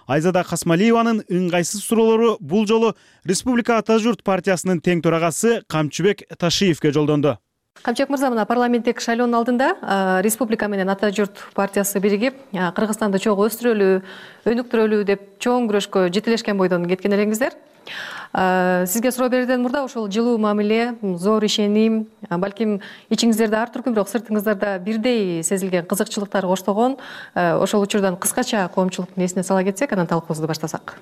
Айзада Касмалиеванын ыңгайсыз суроолору бул жолу Республика Ата журт партиясынын тең төрагасы Камчыбек Ташиевке жолдонду. Камчыбек мырза, мына парламенттик шайлоонун алдында Республика менен Ата журт партиясы биригип Кыргызстанды чогуу өстүрөлү, өнүктүрөлү деп чоң күрөшкө жетелешкен бойдон кеткен элеңиздер. Сизге суроо берүүдөн мурда ошол жылуу мамиле, зор ишеним, балким ичиңиздерде ар түркүн, бирок сыртыңыздарда бирдей сезилген кызыкчылыктар коштогон ошол учурдан кыскача коомчулуктун эсине сала кетсек, анан талкуубузду баштасак.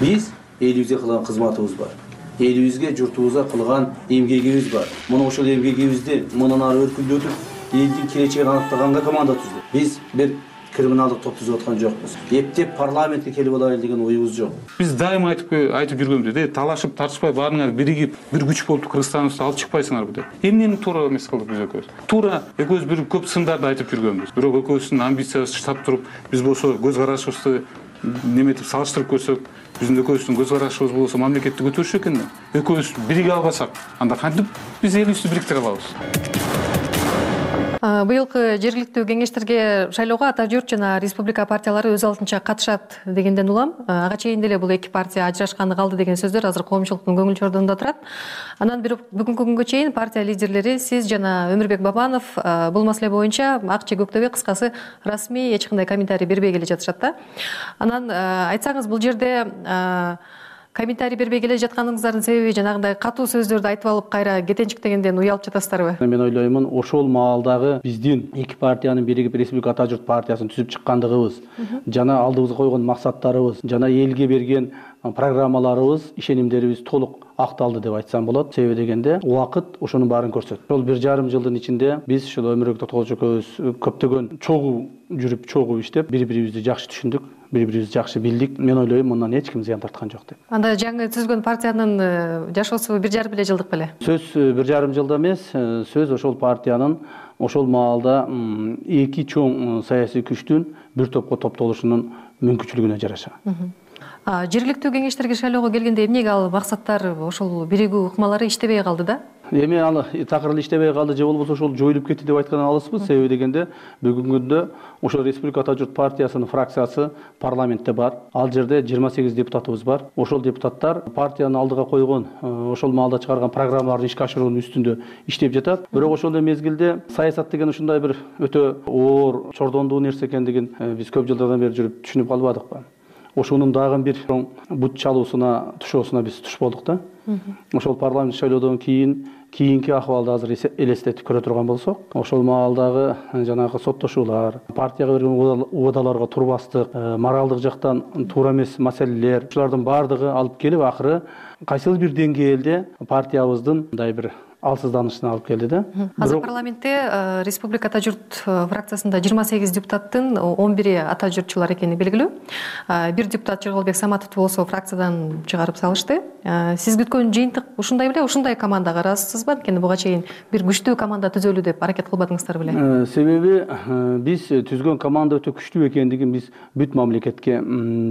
Биз элибизге кылган кызматыбыз бар. Элибизге, журтубузга кылган эмгегибиз бар. Муну ошол эмгегибизди мындан ары өркүндөтүп, элдин келечегин аныктаганга команда түздүк. Биз бир криминалдык топ түзүп аткан жокпуз. Эптеп парламентке келип алайлы деген оюбуз жок. Биз дайыма айтып айтып жүргөнбүз, э, талашып, тартышпай баарыңар биригип, бир күч болуп Кыргызстаныбызды алып чыкпайсыңарбы деп. Эмнени туура эмес кылдык биз экөөбүз. Туура экөөбүз бир көп сындарды айтып жүргөнбүз. Бирок экөөбүздүн амбициясы штаб туруп, биз болсо көз карашыбызды неметип салыштырып көрсөк, биздин экөөбүздүн көз карашыбыз болсо мамлекетти көтөрүшү экен да. Экөөбүз бириге албасак, анда кантип биз элибизди бириктире алабыз? Быйылкы жергиликтүү кеңештерге шайлоого Ата журт жана Республика партиялары өз алдынча катышат дегенден улам. Ага чейин деле бул эки партия ажырашканы калды деген сөздөр азыр коомчулуктун көңүл чордугунда турат. Анан бирок бүгүнкү күнгө чейин партия лидерлери, сиз жана Өмүрбек Бабанов бул маселе боюнча ак же көктөбөй кыскасы расмий эч кандай комментарий бербей келе жатышат да. Анан айтсаңыз, бул жерде комментарий бербей келе жатканыңыздардын себеби жанагындай катуу сөздөрдү айтып алып кайра кетенчиктегенден уялып жатасыздарбы? Мен ойлоймун, ошол маалдагы биздин эки партиянын биригип Республика Ата журт партиясын түзүп чыккандыгыбыз, жана алдыбызга койгон максаттарыбыз, жана элге берген программаларыбыз, ишенимдерибиз толук акталды деп айтсам болот. Себеби дегенде убакыт ошонун баарын көрсөттү. Ошол бир жарым жылдын ичинде биз ушул Өмүрбек Токтогулович экөөбүз көптөгөн чогуу жүрүп, чогуу иштеп, бири-бирибизди жакшы түшүндүк, бири-бирибизди жакшы билдик. Мен ойлойм, мындан эч ким зыян тарткан жок деп. Анда жаңы түзүлгөн партиянын жашоосу бир жарым эле жылдык беле? Сөз бир жарым жылда эмес, сөз ошол партиянын ошол маалда эки чоң саясий күчтүн бир топко топтолушунун мүмкүнчүлүгүнө жараша. Жергиликтүү кеңештерге шайлоого келгенде эмнеге ал максаттар, ошол биригүү ыкмалары иштебей калды да? Эми ал такыр эле иштебей калды же болбосо ошол жоюлуп кетти деп айткан алысбыз. Себеби дегенде бүгүнкү күндө ошол Республика Ата журт партиясынын фракциясы парламентте бар. Ал жерде жыйырма сегиз депутатыбыз бар. Ошол депутаттар партиянын алдыга койгон, ошол маалда чыгарган программаларды ишке ашыруунун үстүндө иштеп жатат. Бирок ошол эле мезгилде саясат деген ушундай бир өтө оор, чордондуу нерсе экендигин биз көп жылдардан бери жүрүп түшүнүп калбадыкпы? Ошонун дагы бир бут чалуусуна, тушоосуна биз туш болдук да. Ошол парламент шайлоодон кийин кийинки акыбалды азыр элестетип көрө турган болсок, ошол маалдагы жанагы соттошуулар, партияга берген убадаларга турбастык, моралдык жактан туура эмес маселелер, ушулардын баардыгы алып келип акыры кайсыл бир деңгээлде партиябыздын мындай бир алсызданышына алып келди да. Азыр парламентте Республика Ата журт фракциясында жыйырма сегиз депутаттын он бири ата журтчулар экени белгилүү. Бир депутат Жырголбек Саматовду болсо фракциядан чыгарып салышты. Сиз күткөн жыйынтык ушундай беле? Ушундай командага ыраазысызбы? Анткени буга чейин бир күчтүү команда түзөлү деп аракет кылбадыңыздар беле? Себеби биз түзгөн команда өтө күчтүү экендигин биз бүт мамлекетке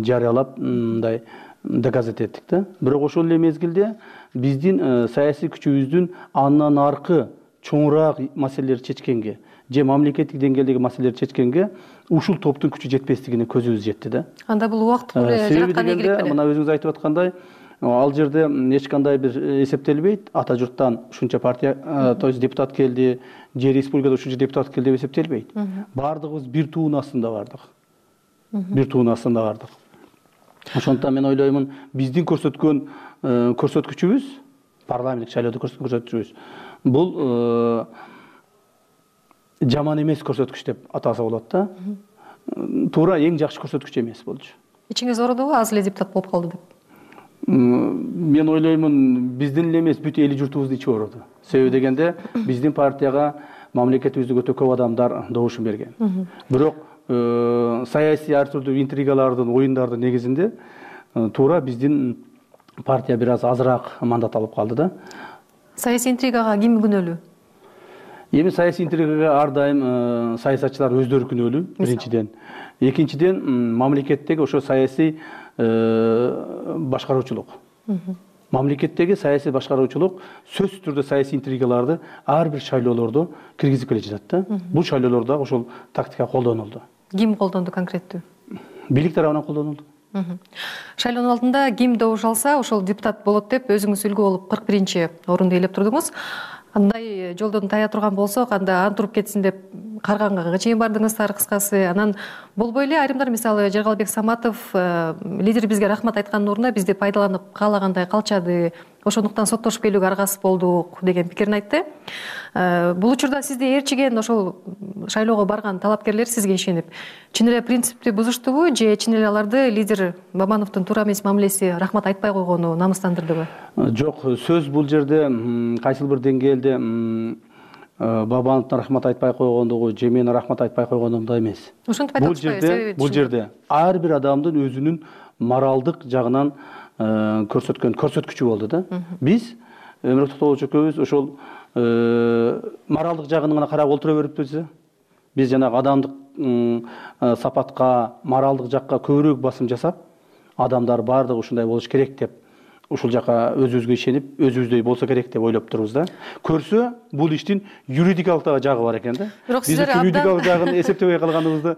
жарыялап, мындай доказать эттик да. Бирок ошол эле мезгилде биздин саясий күчүбүздүн андан аркы чоңураак маселелерди чечкенге же мамлекеттик деңгээлдеги маселелерди чечкенге ушул топтун күчү жетпестигине көзүбүз жетти да. Анда бул убакыт эле жараткан ийгилик беле? Мына өзүңүз айтып аткандай, ал жерде эч кандай бир эсептелбейт. Ата журттан ушунча партия, то есть депутат келди, же республикада ушунча депутат келди деп эсептелбейт. Бардыгыбыз бир туунун астында бардык. Бир туунун астында бардык. Ошондуктан мен ойлоймун, биздин көрсөткөн көрсөткүчүбүз, парламенттик шайлоодо көрсөткөн көрсөткүчүбүз бул жаман эмес көрсөткүч деп атаса болот да. Туура эң жакшы көрсөткүч эмес болчу. Ичиңиз оорудубу, аз эле депутат болуп калды деп? мен ойлоймун биздин эле эмес бүт эли журтубуздун ичи ооруду. Себеби дегенде биздин партияга мамлекетибизде өтө көп адамдар добушун берген. Бирок саясий ар түрдүү интригалардын, оюндардын негизинде туура биздин партия бир аз азыраак мандат алып калды да. Саясий интригага ким күнөөлүү? Эми саясий интригага ар дайым саясатчылар өздөрү күнөөлүү, биринчиден. Экинчиден, мамлекеттеги ошо саясий башкаруучулук. Мамлекеттеги саясий башкаруучулук сөзсүз түрдө саясий интригаларды ар бир шайлоолордо киргизип келе жатат да. Бул шайлоолордо ошол тактика колдонулду. Ким колдонду конкреттүү? Бийлик тарабынан колдонулду. Шайлоонун алдында ким добуш алса, ошол депутат болот деп өзүңүз үлгү болуп кырк биринчи орунду ээлеп турдуңуз. Андай жолдон тая турган болсок, анда антуруп кетсин деп карганга чейин бардыңыздар кыскасы. Анан болбой эле айрымдар, мисалы Жергалбек Саматов лидер бизге рахмат айткандын ордуна бизди пайдаланып каалагандай калчады. Ошондуктан соттошуп келүүгө аргасыз болдук деген пикирин айтты. Бул учурда сизди ээрчиген ошол шайлоого барган талапкерлер сизге ишенип, чын эле принципти бузуштубу же чын эле аларды лидер Бабановдун туура эмес мамилеси рахмат айтпай койгону намыстандырдыбы? Жок, сөз бул жерде кайсыл бир деңгээлде Бабановдун рахмат айтпай койгондугу же мен рахмат айтпай койгонумда эмес. Ошентип айтып атпайбы? Бул жерде ар бир адамдын өзүнүн моралдык жагынан көрсөткөн көрсөткүчү болду да. Биз Өмүрөк Токтогул экөөбүз ошол моралдык жагын гана карап олтура бериппиз. Биз жанагы адамдык сапатка, моралдык жакка көбүрөөк басым жасап, адамдар баардыгы ушундай болуш керек деп ушул жака өзүбүзгө ишенип, өзүбүздөй болсо керек деп ойлоп турбуз да. Көрсө, бул иштин юридикалык жагы бар экен да. Биз юридикалык жагын эсептебей калганыбызды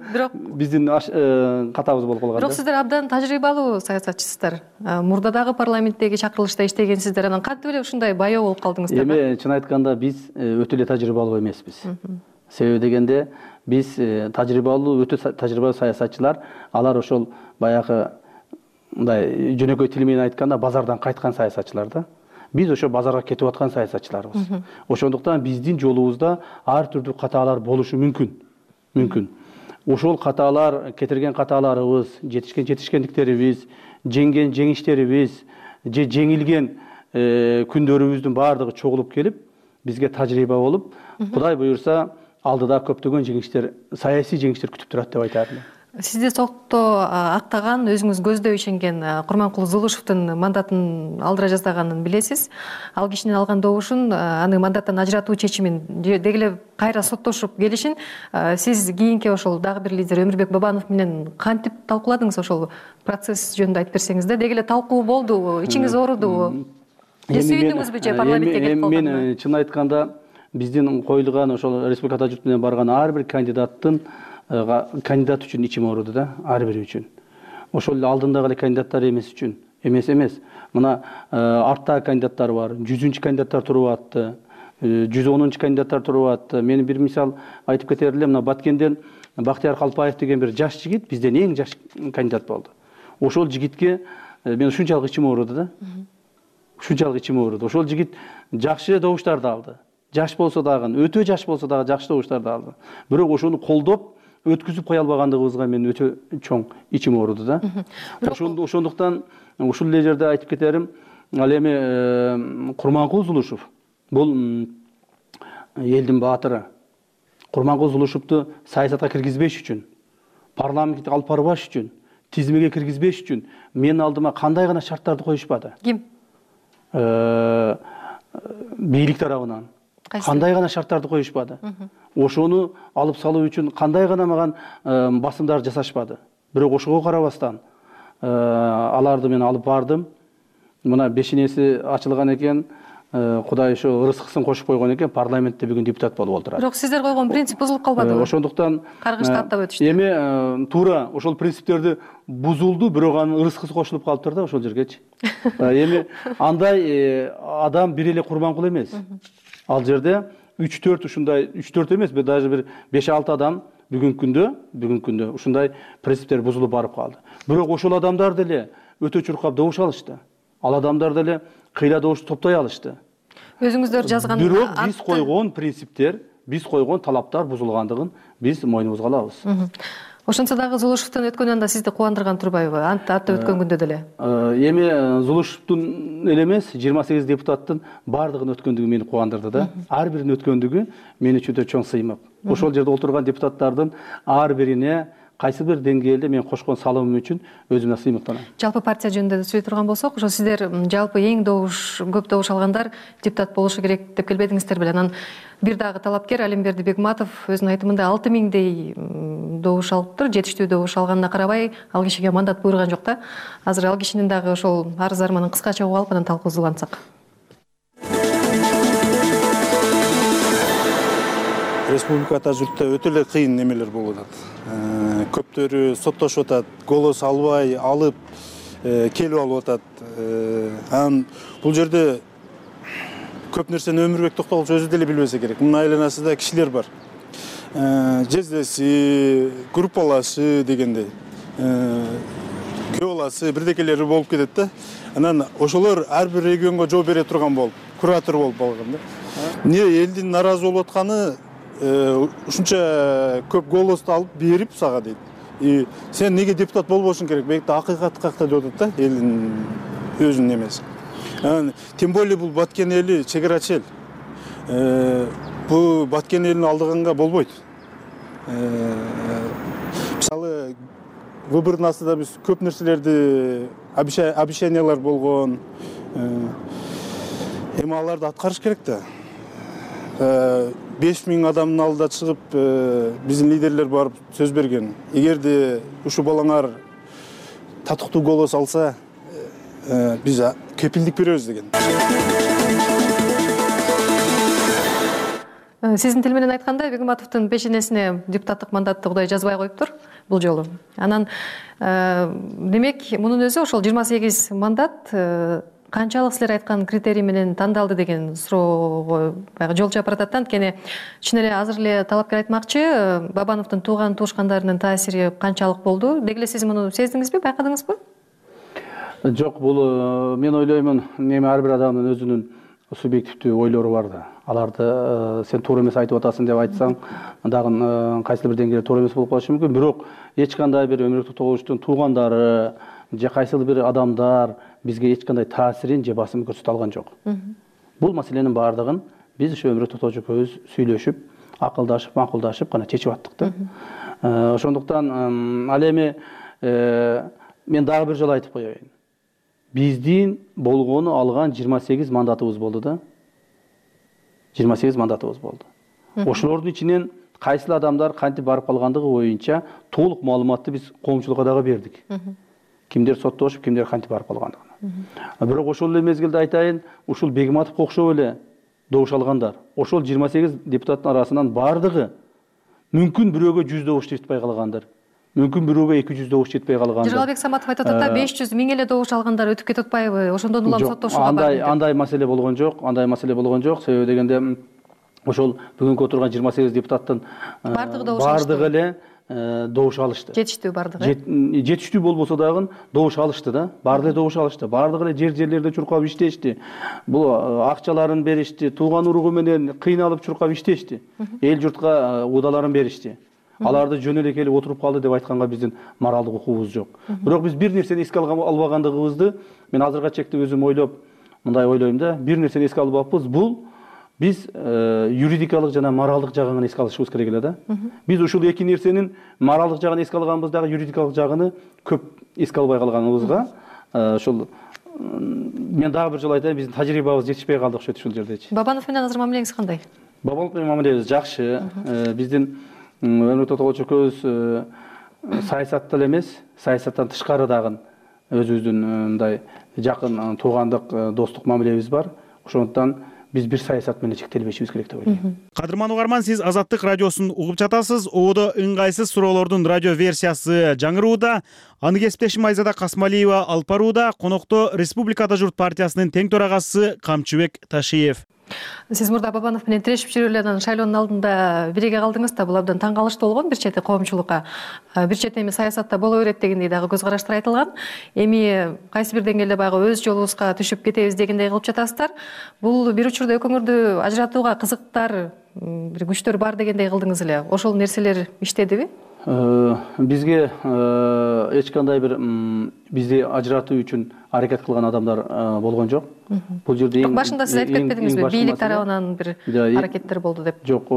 биздин катабыз болуп калган да. Бирок сиздер абдан тажрыйбалуу саясатчысыздар. Мурда дагы парламенттеги чакырылышта иштегенсиздер. Анан кантип эле ушундай баяу болуп калдыңыздар? Эми чын айтканда биз өтө эле тажрыйбалуу эмеспиз. Себеби дегенде биз тажрыйбалуу, өтө тажрыйбалуу саясатчылар, алар ошол баягы мындай жөнөкөй тил менен айтканда базардан кайткан саясатчылар да. Биз ошо базарга кетип аткан саясатчыларбыз. Ошондуктан биздин жолубузда ар түрдүү катаалар болушу мүмкүн. Мүмкүн. Ошол катаалар, кетирген катааларыбыз, жетишкен жетишкендиктерибиз, жеңген жеңиштерибиз, же жеңилген күндөрүбүздүн баардыгы чогулуп келип, бизге тажрыйба болуп, Кудай буюрса, алдыда көптөгөн жеңиштер, саясий жеңиштер күтүп турат деп айтармын. Сизди сотто актаган, өзүңүз көздөй ишенген Курманкул Зулушевдун мандатын алдыра жаздаганын билесиз. Ал кишинин алган добушун, аны мандаттан ажыратуу чечимин деги эле кайра соттошуп келишин сиз кийинки ошол дагы бир лидер Өмүрбек Бабанов менен кантип талкууладыңыз? Ошол процесс жөнүндө айтып берсеңиз да. Деги эле талкуу болду, ичиңиз оорудубу? Же сүйүндүңүзбү же парламентке кетип калганына? Мен чын айтканда биздин коюлган ошол республика Атажурт менен барган ар бир кандидаттын кандидат үчүн ичим ооруду да, ар бири үчүн. Ошол эле алдындагы эле кандидаттар эмес үчүн, эмес эмес. Мына арттагы кандидаттар бар, жүзүнчү кандидаттар туруп атты, жүз онунчу кандидаттар туруп атты. Мен бир мисал айтып кетер элем, мына Баткенден Бактияр Калпаев деген бир жаш жигит бизден эң жаш кандидат болду. Ошол жигитке мен ушунчалык ичим ооруду да. Ушунчалык ичим ооруду. Ошол жигит жакшы добуштарды алды. Жаш болсо дагы, өтө жаш болсо дагы жакшы добуштарды алды. Бирок ошону колдоп өткүзүп кое албагандыгыбызга мен өтө чоң ичим ооруду да. Ошондуктан ушул эле жерде айтып кетерим, ал эми Курманкул Зулушев бул элдин баатыры. Курманкул Зулушевду саясатка киргизбеш үчүн, парламентке алып барбаш үчүн, тизмеге киргизбеш үчүн менин алдыма кандай гана шарттарды коюшпады? Ким? Бийлик тарабынан кандай гана шарттарды коюшпады? Ошону алып салуу үчүн кандай гана маган басымдар жасашпады. Бирок ошого карабастан аларды мен алып бардым. Мына бешинеси ачылган экен, Кудай ошо ырыскысын кошуп койгон экен, парламентте бүгүн депутат болуп отурат. Бирок сиздер койгон принцип бузулуп калбадыбы? Ошондуктан каргышты аттап өтүштү. Эми туура ошол принциптерди бузулду, бирок анын ырыскысы кошулуп калыптыр да ошол жергечи. Эми андай адам бир эле Курманкул эмес. Ал жерде үч төрт ушундай үч төрт эмес, даже бир беш алты адам бүгүнкү күндө, бүгүнкү күндө ушундай принциптер бузулуп барып калды. Бирок ошол адамдар деле өтө чуркап добуш алышты. Ал адамдар деле кыйла добуш топтой алышты. Өзүңүздөр жазган бирок биз койгон принциптер, биз койгон талаптар бузулгандыгын биз мойнубузга алабыз. Ошентсе дагы Зулушевдун өткөнү анда сизди кубандырган турбайбы? Антта өткөн күндө деле. Эми Зулушевдун эле эмес, жыйырма сегиз депутаттын баардыгынын өткөндүгү мени кубандырды да. Ар биринин өткөндүгү мен үчүн өтө чоң сыймык. Ошол жерде отурган депутаттардын ар бирине кайсы бир деңгээлде мен кошкон салымым үчүн өзүмө сыймыктанам. Жалпы партия жөнүндө сүйлөй турган болсок, ошо сиздер жалпы эң добуш, көп добуш алгандар депутат болушу керек деп келбедиңиздер беле. Анан бир дагы талапкер Алимберди Бегматов өзүнүн айтымында алты миңдей добуш алыптыр. Жетиштүү добуш алганына карабай, ал кишиге мандат буйруган жок да. Азыр ал кишинин дагы ошол арыз арманын кыскача угуп алып анан талкуусулансак. Республика ата журтта өтө эле кыйын немелер болуп атат. Көптөрү соттошуп атат, голос албай, алып келип алып атат. Анан бул жерде көп нерсени Өмүрбек Токтогулович өзү деле билбесе керек. Мунун айланасында кишилер бар. Жездеси, группалашы дегендей. Көө баласы, бирдекелери болуп кетет да. Анан ошолор ар бир регионго жооп бере турган болуп, куратор болуп алган да. Эмне элдин нааразы болуп атканы ушунча көп голосду алып берип сага дейт. И сен неге депутат болбошуң керек? Бекте акыйкат какта деп атат да, элдин өзүнүн эмеси. Тем более бул Баткен эли чек эл. Бул Баткен элин алдыганга болбойт. Мисалы, выбордун астында биз көп нерселерди обещаниялар болгон. Эми аларды аткарыш керек да. беш миң адамдын алдына чыгып биздин лидерлер барып сөз берген. Эгерде ушу балаңар татыктуу голос алса, биз кепилдик беребиз деген. Сиздин тил менен айтканда Бегматовдун пешенесине депутаттык мандатты Кудай жазбай коюптур бул жолу. Анан демек мунун өзү ошол жыйырма сегиз мандат канчалык силер айткан критерий менен тандалды деген суроого баягы жол чапыр атат да. Анткени чын эле азыр эле талапкер айтмакчы, Бабановдун тууган туушкандарынын таасири канчалык болду? Деги эле сиз муну сездиңизби, байкадыңызбы? Жок, бул мен ойлоймун, эми ар бир адамдын өзүнүн субъективдүү ойлору бар да. Аларды сен туура эмес айтып атасың деп айтсаң, дагы кайсы бир деңгээлде туура эмес болуп калышы мүмкүн. Бирок эч кандай бир Өмүрбек Токтогуловичтун туугандары же кайсы бир адамдар бизге эч кандай таасирин же басым көрсөтө алган жок. Бул маселенин баардыгын биз ушу Өмүрбек Токтогулович экөөбүз сүйлөшүп, акылдашып, макулдашып гана чечип аттык да. Ошондуктан ал эми мен дагы бир жолу айтып коеюн. Биздин болгону алган жыйырма сегиз мандатыбыз болду да. жыйырма сегиз мандатыбыз болду. Ошолордун ичинен кайсыл адамдар кантип барып калгандыгы боюнча толук маалыматты биз коомчулукка дагы бердик. Кимдер соттошуп, кимдер кантип барып калгандыгын. Бирок ошол эле мезгилде айтайын, ушул Бегматовго окшоп эле добуш алгандар. Ошол жыйырма сегиз депутаттын арасынан бардыгы мүмкүн бирөөгө жүз добуш жетпей калгандыр. Мүмкүн бирөөгө эки жүз добуш жетпей калгандыр. Жыргалбек Саматов айтып атат да, беш жүз миң эле добуш алгандар өтүп кетип атпайбы? Ошондон улам соттошууга бар. Андай андай маселе болгон жок, андай маселе болгон жок. Себеби дегенде ошол бүгүнкү отурган жыйырма сегиз депутаттын бардыгы эле добуш алышты. Жетиштүү бардыгы. Жетиштүү болбосо дагы добуш алышты да. Бардыгы эле добуш алышты. Бардыгы эле жер жерлерде чуркап иштешти. Бул акчаларын беришти, тууган уругу менен кыйналып чуркап иштешти. Эл журтка удааларын беришти. Аларды жөн эле келип отуруп калды деп айтканга биздин моралдык укугубуз жок. Бирок биз бир нерсени эске албагандыгыбызды мен азыркыга чекте өзүм ойлоп мындай ойлойм да. Бир нерсени эске албаппыз. Бул биз юридикалык жана моралдык жагын эске алышыбыз керек эле да. Биз ушул эки нерсенин моралдык жагын эске алганбыз дагы, юридикалык жагыны көп эске албай калганыбызга ошол мен дагы бир жолу айтайын, биздин тажрыйбабыз жетишпей калды окшойт ушул жердечи. Бабанов менен азыр мамилеңиз кандай? Бабанов менен мамилебиз жакшы. Биздин Өмүрбек Токтогулович экөөбүз саясатта эле эмес, саясаттан тышкары дагы өзүбүздүн мындай жакын туугандык, достук мамилебиз бар. Ошондуктан биз бир саясат менен чектелбешибиз керек деп ойлойм. Кадырман угарман, сиз Азаттык радиосун угуп жатасыз. Ободо ыңгайсыз суроолордун радио версиясы жаңырууда. Аны кесиптешим Айзада Касмалиева алып барууда. Конокто Республика ата журт партиясынын тең төрагасы Камчыбек Ташиев. Сиз мурда Бабанов менен тирешип жүрүп эле анан шайлоонун алдында бириге калдыңыз да, бул абдан таң калыштуу болгон. Бир чети коомчулукка, бир чети эми саясатта боло берет дегендей дагы көз караштар айтылган. Эми кайсы бир деңгээлде баягы өз жолубузга түшүп кетебиз дегендей кылып жатасыздар. Бул бир учурда экөөңөрдү ажыратууга кызыктар, бир күчтөр бар дегендей кылдыңыз эле. Ошол нерселер иштедиби? бизге эч кандай бир бизди ажыратуу үчүн аракет кылган адамдар болгон жок. Бул жерде эң башында сиз айтып кетпедиңизби, бийлик тарабынан бир аракеттер болду деп? Жок.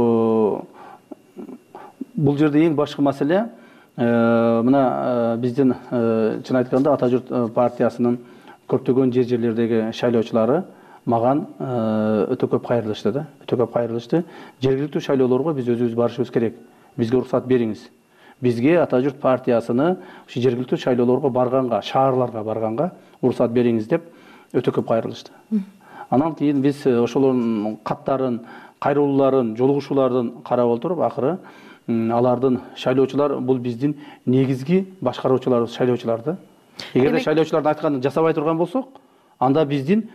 Бул жерде ең башкы маселе мына биздин чын айтканда Ата журт партиясынын көптөгөн жер жерлердеги шайлоочулары маган өтө көп кайрылышты да, өтө көп кайрылышты. Жергиликтүү шайлоолорго биз өзүбүз барышыбыз керек. Бизге уруксат бериңиз. Бизге Ата журт партиясыны ушу жергиликтүү шайлоолорго барганга, шаарларга барганга уруксат бериңиз деп өтө көп кайрылышты. Анан кийин биз ошолордун каттарын, кайрылууларын, жолугушууларын карап отуруп, акыры алардын шайлоочулар бул биздин негизги башкаруучуларыбыз, шайлоочуларды. Эгерде шайлоочулардын айтканын жасабай турган болсок, анда биздин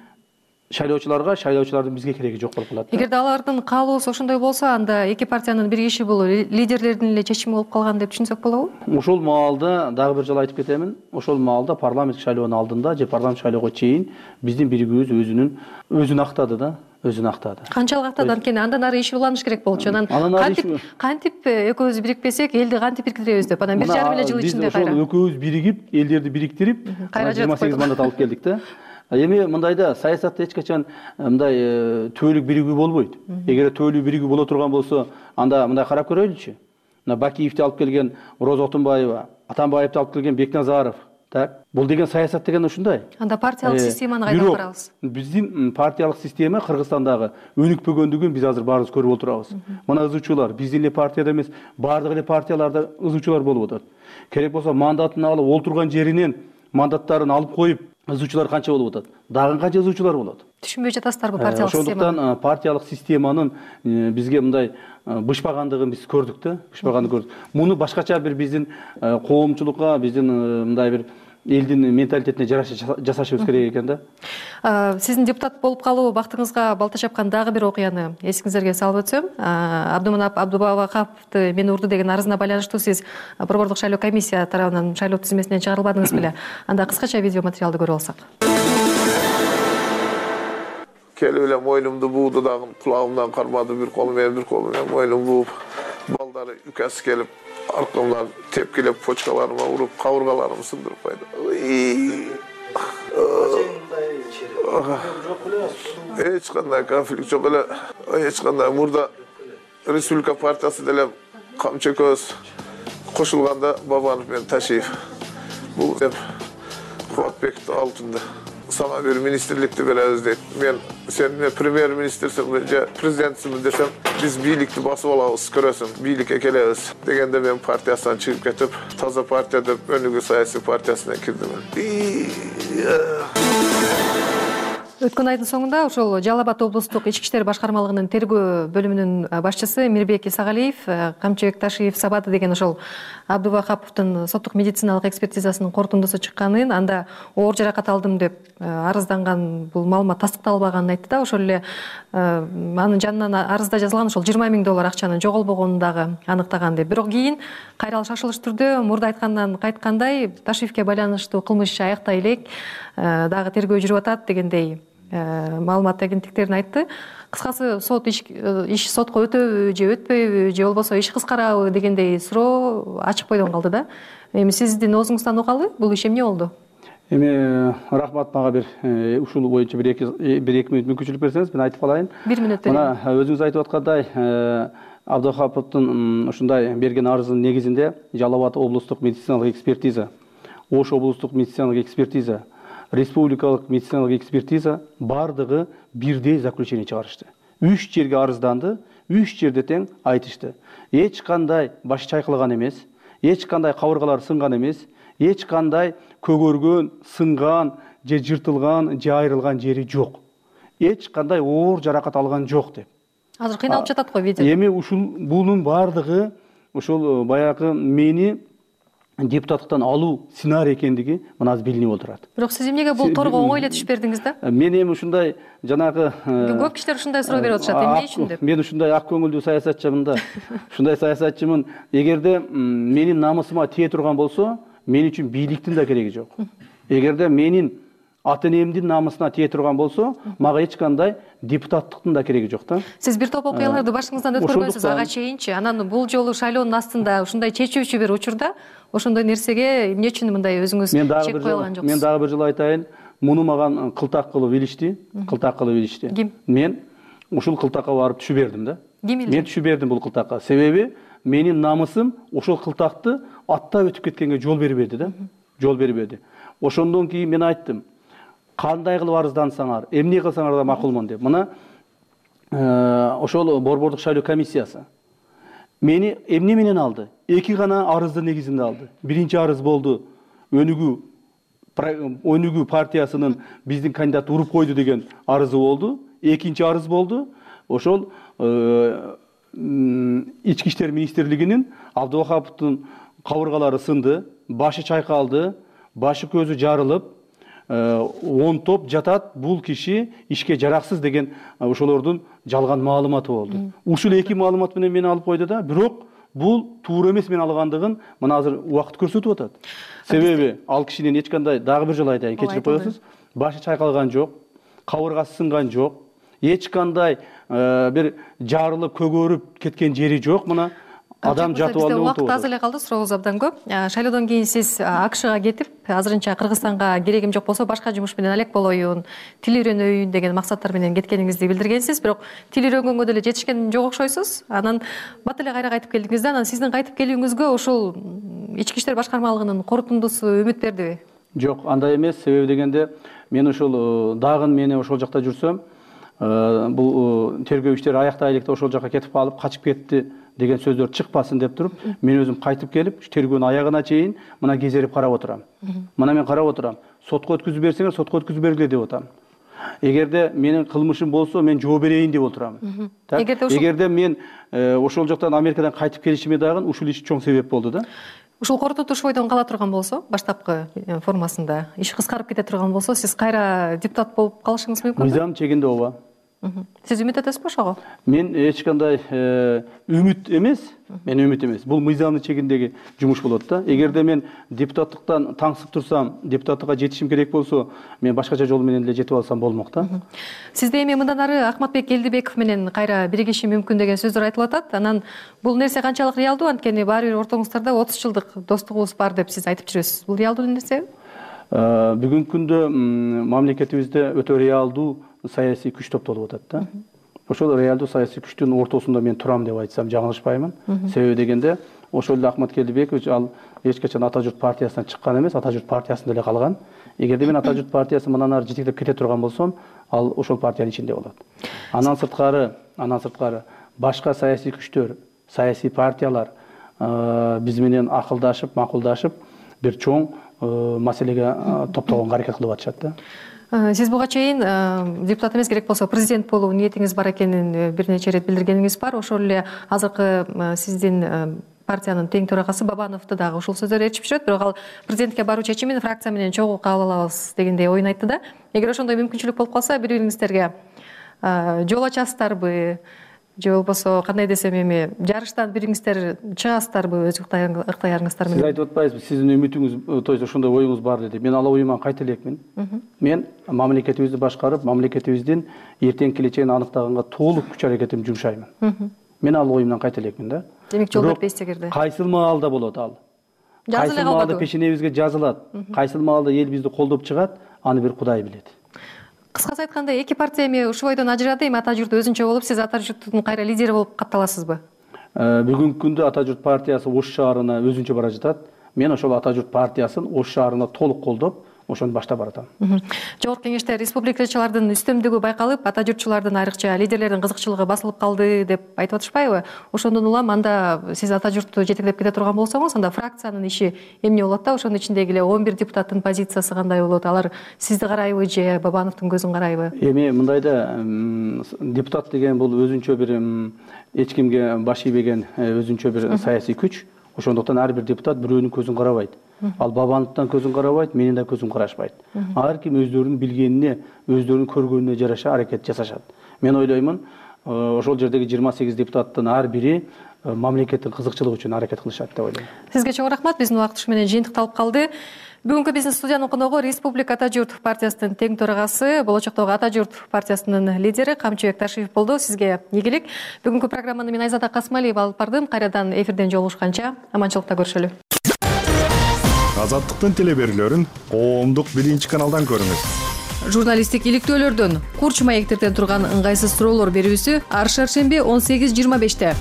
шайлоочуларга, шайлоочулардын бизге кереги жок болуп калат. Эгерде алардын каалоосу ошондой болсо, анда эки партиянын бир киши бул лидерлердин эле чечими болуп калган деп түшүнсөк болобу? Ошол маалда дагы бир жолу айтып кетемин. Ошол маалда парламенттик шайлоонун алдында же парламенттик шайлоого чейин биздин биригүүбүз өзүнүн өзүн актады да, өзүн актады. Канчалык актады? Анткени андан ары иш уланыш керек болчу. Анан кантип кантип экөөбүз бирикпесек, элди кантип бириктиребиз деп, анан бир жарым эле жыл ичинде кайра. Биз ошол экөөбүз биригип, элдерди бириктирип, жыйырма сегиз мандат алып келдик да. Эми мындайда саясатта эч качан мындай төөлүк биригүү болбойт. Эгер төөлүк биригүү боло турган болсо, анда мындай карап көрөйлүчү. Мына Бакиевди алып келген Роза Отунбаева, Атамбаевди алып келген Бекназаров, так? Бул деген саясат деген ушундай. Анда партиялык системаны кайдан карабыз? Биздин партиялык система Кыргызстандагы өнүкпөгөндүгүн биз азыр баарыбыз көрүп отурабыз. Мына ызычуулар биздин эле партияда эмес, баардык эле партияларда ызычуулар болуп атат. Керек болсо мандатын алып, олтурган жеринен мандаттарын алып коюп, ызычуулар канча болуп атат? Дагы канча ызычуулар болот? Түшүнбөй жатасыздарбы партиялык системаны? Ошондуктан партиялык системанын бизге мындай бышпагандыгын биз көрдүк да, бышпагандыгын көрдүк. Муну башкача бир биздин коомчулукка, биздин мындай бир элдин менталитетине жараша жасашыбыз керек экен да. Сиздин депутат болуп калуу бактыңызга балта чапкан дагы бир окуяны эсиңиздерге салып өтсөм, Абдыманап Абдубакаповду мени урду деген арызына байланыштуу сиз борбордук шайлоо комиссия тарабынан шайлоо тизмесинен чыгарылбадыңыз беле? Анда кыскача видео материалды көрүп алсак. Келип эле мойнумду бууду дагы, кулагымдан кармады, бир колу менен бир колу менен мойнумду бууп, балдары үкөсү келип, аркамдан тепкилеп почкаларыма уруп, кабыргаларымды сындырып койду. Эч кандай конфликт жок эле, эч кандай. Мурда Республика партиясы деле камчы көз кошулганда Бабанов менен Ташиев. Бул деп Кубатбекти алтында. Сага бир министрликти беребиз дейт. Мен сен премьер-министрсиңби же президентсиңби десем, биз бийликти басып алабыз, көрөсүң, бийликке келебиз дегенде мен партиясынан чыгып кетип, таза партия деп өнүгүү саясий партиясына кирдим. Өткөн айдын соңунда ошол Жалал Абад облустук ички иштер башкармалыгынын тергөө бөлүмүнүн башчысы Мирбек Исагалиев Камчыбек Ташиев сабады деген ошол Абдубакаповдун соттук медициналык экспертизасынын корутундусу чыкканын, анда оор жаракат алдым деп арызданган, бул маалымат тастыкталбаганын айтты да. Ошол эле анын жанынан арызда жазылган ошол жыйырма миң доллар акчанын жоголбогонун дагы аныктаган деп. Бирок кийин кайра шашылыш түрдө мурда айткандан кайткандай Ташиевке байланыштуу кылмыш аяктай элек, дагы тергөө жүрүп атат дегендей маалымат агенттиктерине айтты. Кыскасы сот иш, иш сотко өтөбү же өтпөйбү же болбосо иш кыскарабы дегендей суроо ачык бойдон калды да. Эми сиздин оозуңуздан угалы, бул иш эмне болду? Эми рахмат, мага бир ушул боюнча бир эки бир эки мүнөт мүмкүнчүлүк берсеңиз, мен айтып калайын. Бир мүнөт берейин. Мына өзүңүз айтып аткандай, Абдухаповдун ушундай берген арызынын негизинде Жалал Абад облустук медициналык экспертиза, Ош облустук медициналык экспертиза, республикалык медициналык экспертиза бардыгы бирдей заключение чыгарышты. Үч жерге арызданды, үч жерде тең айтышты. Эч кандай баш чайкалган эмес, эч кандай кабыргалар сынган эмес, эч кандай көгөргөн, сынган, же жыртылган, же айрылган жери жок. Эч кандай оор жаракат алган жок деп. Азыр кыйналып жатат го видео. Эми ушул бунун бардыгы ушул баягы мени депутаттыктан алуу сценарий экендиги мына азыр билинип отурат. Бирок сиз эмнеге бул торго оңой эле түшүп бердиңиз да? Мен эми ушундай жанагы көп кишилер ушундай суроо берип атышат, эмне үчүн деп. Мен ушундай ак көңүлдүү саясатчымын да. Ушундай саясатчымын. Эгерде менин намысыма тие турган болсо, мен үчүн бийликтин да кереги жок. Эгерде менин ата энемдин намысына тие турган болсо, мага эч кандай депутаттыктын да кереги жок да. Сиз бир топ окуяларды башыңыздан өткөрбөйсүз ага чейинчи. Анан бул жолу шайлоонун астында ушундай чечүүчү бир учурда ошондой нерсеге эмне үчүн мындай өзүңүз чек кое алган жоксуз? Мен дагы бир жолу айтайын, муну маган кылтак кылып илишти, кылтак кылып илишти. Ким? Мен ушул кылтакка барып түшүп бердим да. Ким илди? Мен түшүп бердим бул кылтакка. Себеби менин намысым ошол кылтакты аттап өтүп кеткенге жол бербеди да. Жол бербеди. Ошондон кийин мен айттым, кандай кылып арыздансаңар, эмне кылсаңар да макулмун деп. Мына ошол борбордук шайлоо комиссиясы мени эмне менен алды? Эки гана арыздын негизинде алды. Биринчи арыз болду, өнүгүү өнүгүү партиясынын биздин кандидат уруп койду деген арызы болду. Экинчи арыз болду, ошол ички иштер министрлигинин Абдывахаповдун кабыргалары сынды, башы чайкалды, башы көзү жарылып, он топ жатат, бул киши ишке жараксыз деген ошолордун жалган маалыматы болду. Ушул эки маалымат менен мени алып койду да, бирок бул туура эмес мен алгандыгын мына азыр убакыт көрсөтүп атат. Себеби ал кишинин эч кандай, дагы бир жолу айтайын, кечирип коесуз, башы чайкалган жок, кабыргасы сынган жок, эч кандай бир жарылып көгөрүп кеткен жери жок. Мына адам жатып алып отурду. Убакыт аз эле калды, сурообуз абдан көп. Шайлоодон кийин сиз АКШга кетип, азырынча Кыргызстанга керегим жок болсо башка жумуш менен алек болоюн, тил үйрөнөйүн деген максаттар менен кеткениңизди билдиргенсиз, бирок тил үйрөнгөнгө деле жетишкен жок окшойсуз. Анан бат эле кайра кайтып келдиңиз да, анан сиздин кайтып келүүңүзгө ошол ички иштер башкармалыгынын корутундусу үмүт бердиби? Жок, андай эмес. Себеби дегенде мен ошол дагы мени ошол жакта жүрсөм, бул тергөө иштери аяктайлык да ошол жака кетип калып, качып кетти деген сөздөр чыкпасын деп туруп, мен өзүм кайтып келип, тергөөнүн аягына чейин мына кезерип карап отурам. Мына мен карап отурам. Сотко өткүзүп берсеңер, сотко өткүзүп бергиле деп атам. Эгерде менин кылмышым болсо, мен жооп берейин деп отурам. Эгерде мен ошол жактан Америкадан кайтып келишиме дагы ушул иш чоң себеп болду да. Ушул корутуш бойдон кала турган болсо, баштапкы формасында иш кыскарып кете турган болсо, сиз кайра депутат болуп калышыңыз мүмкүн? Мыйзам чегинде ооба. Сиз үмүт этесизби ошого? Мен эч кандай үмүт эмес, мен үмүт эмес. Бул мыйзамдын чегиндеги жумуш болот да. Эгерде мен депутаттыктан таңсып турсам, депутаттыкка жетишим керек болсо, мен башкача жол менен эле жетип алсам болмок да. Сизде эми мындан ары Акматбек Элдибеков менен кайра биригишим мүмкүн деген сөздөр айтылып атат. Анан бул нерсе канчалык реалдуу? Анткени баары бир ортоңуздарда отуз жылдык достугубуз бар деп сиз айтып жүрөсүз. Бул реалдуу нерсеби? Бүгүнкү күндө мамлекетибизде өтө реалдуу саясий күч топтолуп атат да. Ошол реалдуу саясий күчтүн ортосунда мен турам деп айтсам жаңылышпаймын. Себеби дегенде ошол эле Акматбек Элдибекович ал эч качан Ата журт партиясынан чыккан эмес, Ата журт партиясында эле калган. Эгерде мен Ата журт партиясы мындан ары жетектеп кете турган болсом, ал ошол партиянын ичинде болот. Андан сырткары, андан сырткары башка саясий күчтөр, саясий партиялар биз менен акылдашып, макулдашып, бир чоң маселеге топтогонго аракет кылып атышат да. Сиз буга чейин депутат эмес, керек болсо президент болуу ниетиңиз бар экенин бир нече ирет билдиргениңиз бар. Ошол эле азыркы сиздин партиянын тең төрагасы Бабановду дагы ушул сөздөр ээрчип жүрөт, бирок ал президентке баруу чечимин фракция менен чогуу кабыл алабыз дегендей оюн айтты да. Эгер ошондой мүмкүнчүлүк болуп калса, бири-бириңиздерге жол ачасыздарбы? Же болбосо кандай десем эми жарыштан бириңиздер чыгасыздарбы өз ыктыярыңыздар менен? Сиз айтып атпайсызбы, сиздин үмүтүңүз, то есть ошондой оюңуз бар деп. Мен ал оюман кайта элекмин. Мен мамлекетибизди башкарып, мамлекетибиздин эртең келечегин аныктаганга толук күч аракетимди жумшаймын. Мен ал оюмдан кайта элекмин да. Демек жол бербейсиз эгерде. Кайсыл маалда болот ал? Жазылып Кайсыл маалда пешенебизге жазылат? Кайсыл маалда эл бизди колдоп чыгат? Аны бир Кудай билет. Кыскасы айтканда, эки партия эми ушул бойдон ажырады, эми Ата журт өзүнчө болуп, сиз Ата журттун кайра лидери болуп катталасызбы? Бүгүнкү күндө Ата журт партиясы Ош шаарына өзүнчө бара жатат. Мен ошол Ата журт партиясын Ош шаарына толук колдоп, ошону баштап баратам. Жогорку кеңеште республикачылардын үстөмдүгү байкалып, Ата журтчулардын айрыкча лидерлердин кызыкчылыгы басылып калды деп айтып атышпайбы? Ошондон улам анда сиз Ата журтту жетектеп кете турган болсоңуз, анда фракциянын иши эмне болот да? Ошонун ичиндеги эле он бир депутаттын позициясы кандай болот? Алар сизди карайбы же Бабановдун көзүн карайбы? Эми мындайда депутат деген бул өзүнчө бир эч кимге баш ийбеген өзүнчө бир саясий күч. Ошондуктан ар бир депутат бирөөнүн көзүн карабайт. Ал Бабановдун көзүн карабайт, менин да көзүм карашпайт. Ар ким өздөрүнүн билгенине, өздөрүнүн көргөнүнө жараша аракет жасашат. Мен ойлоймун, ошол жердеги жыйырма сегиз депутаттын ар бири мамлекеттин кызыкчылыгы үчүн аракет кылышат деп ойлойм. Сизге чоң рахмат. Биздин убакыт ушу менен жыйынтыкталып калды. Бүгүнкү биздин студиянын коногу Республика Ата журт партиясынын тең төрагасы, болочоктогу Ата журт партиясынын лидери Камчыбек Ташиев болду. Сизге ийгилик. Бүгүнкү программаны мен Айзада Касымалиева алып бардым. Кайрадан эфирден жолугушканча аманчылыкта көрүшөлү. Азаттыктын телеберүүлөрүн коомдук биринчи каналдан көрүңүз. Журналисттик иликтөөлөрдөн, курч маектерден турган ыңгайсыз суроолор берүүсү ар шаршемби он сегиз жыйырма беште.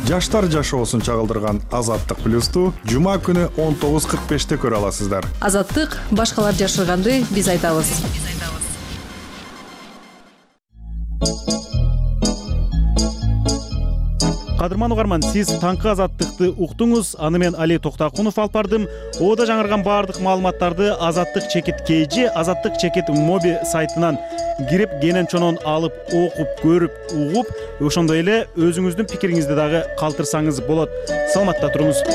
Жаштар жашоосун чагылдырган Азаттык плюсту жума күнү он тогуз кырк беште көрө аласыздар. Азаттык башкалар жашырганды биз айтабыз. Кадырман угарман, сиз таңкы азаттыкты уктуңуз. Аны мен Али Токтакунов алып бардым. Ода жаңырган баардык маалыматтарды Азаттык чекит kg, Азаттык чекит моби сайтынан кирип, кенен чонон алып, окуп, көрүп, угуп, ошондой эле өзүңүздүн пикириңизди дагы калтырсаңыз болот. Саламатта туруңуз.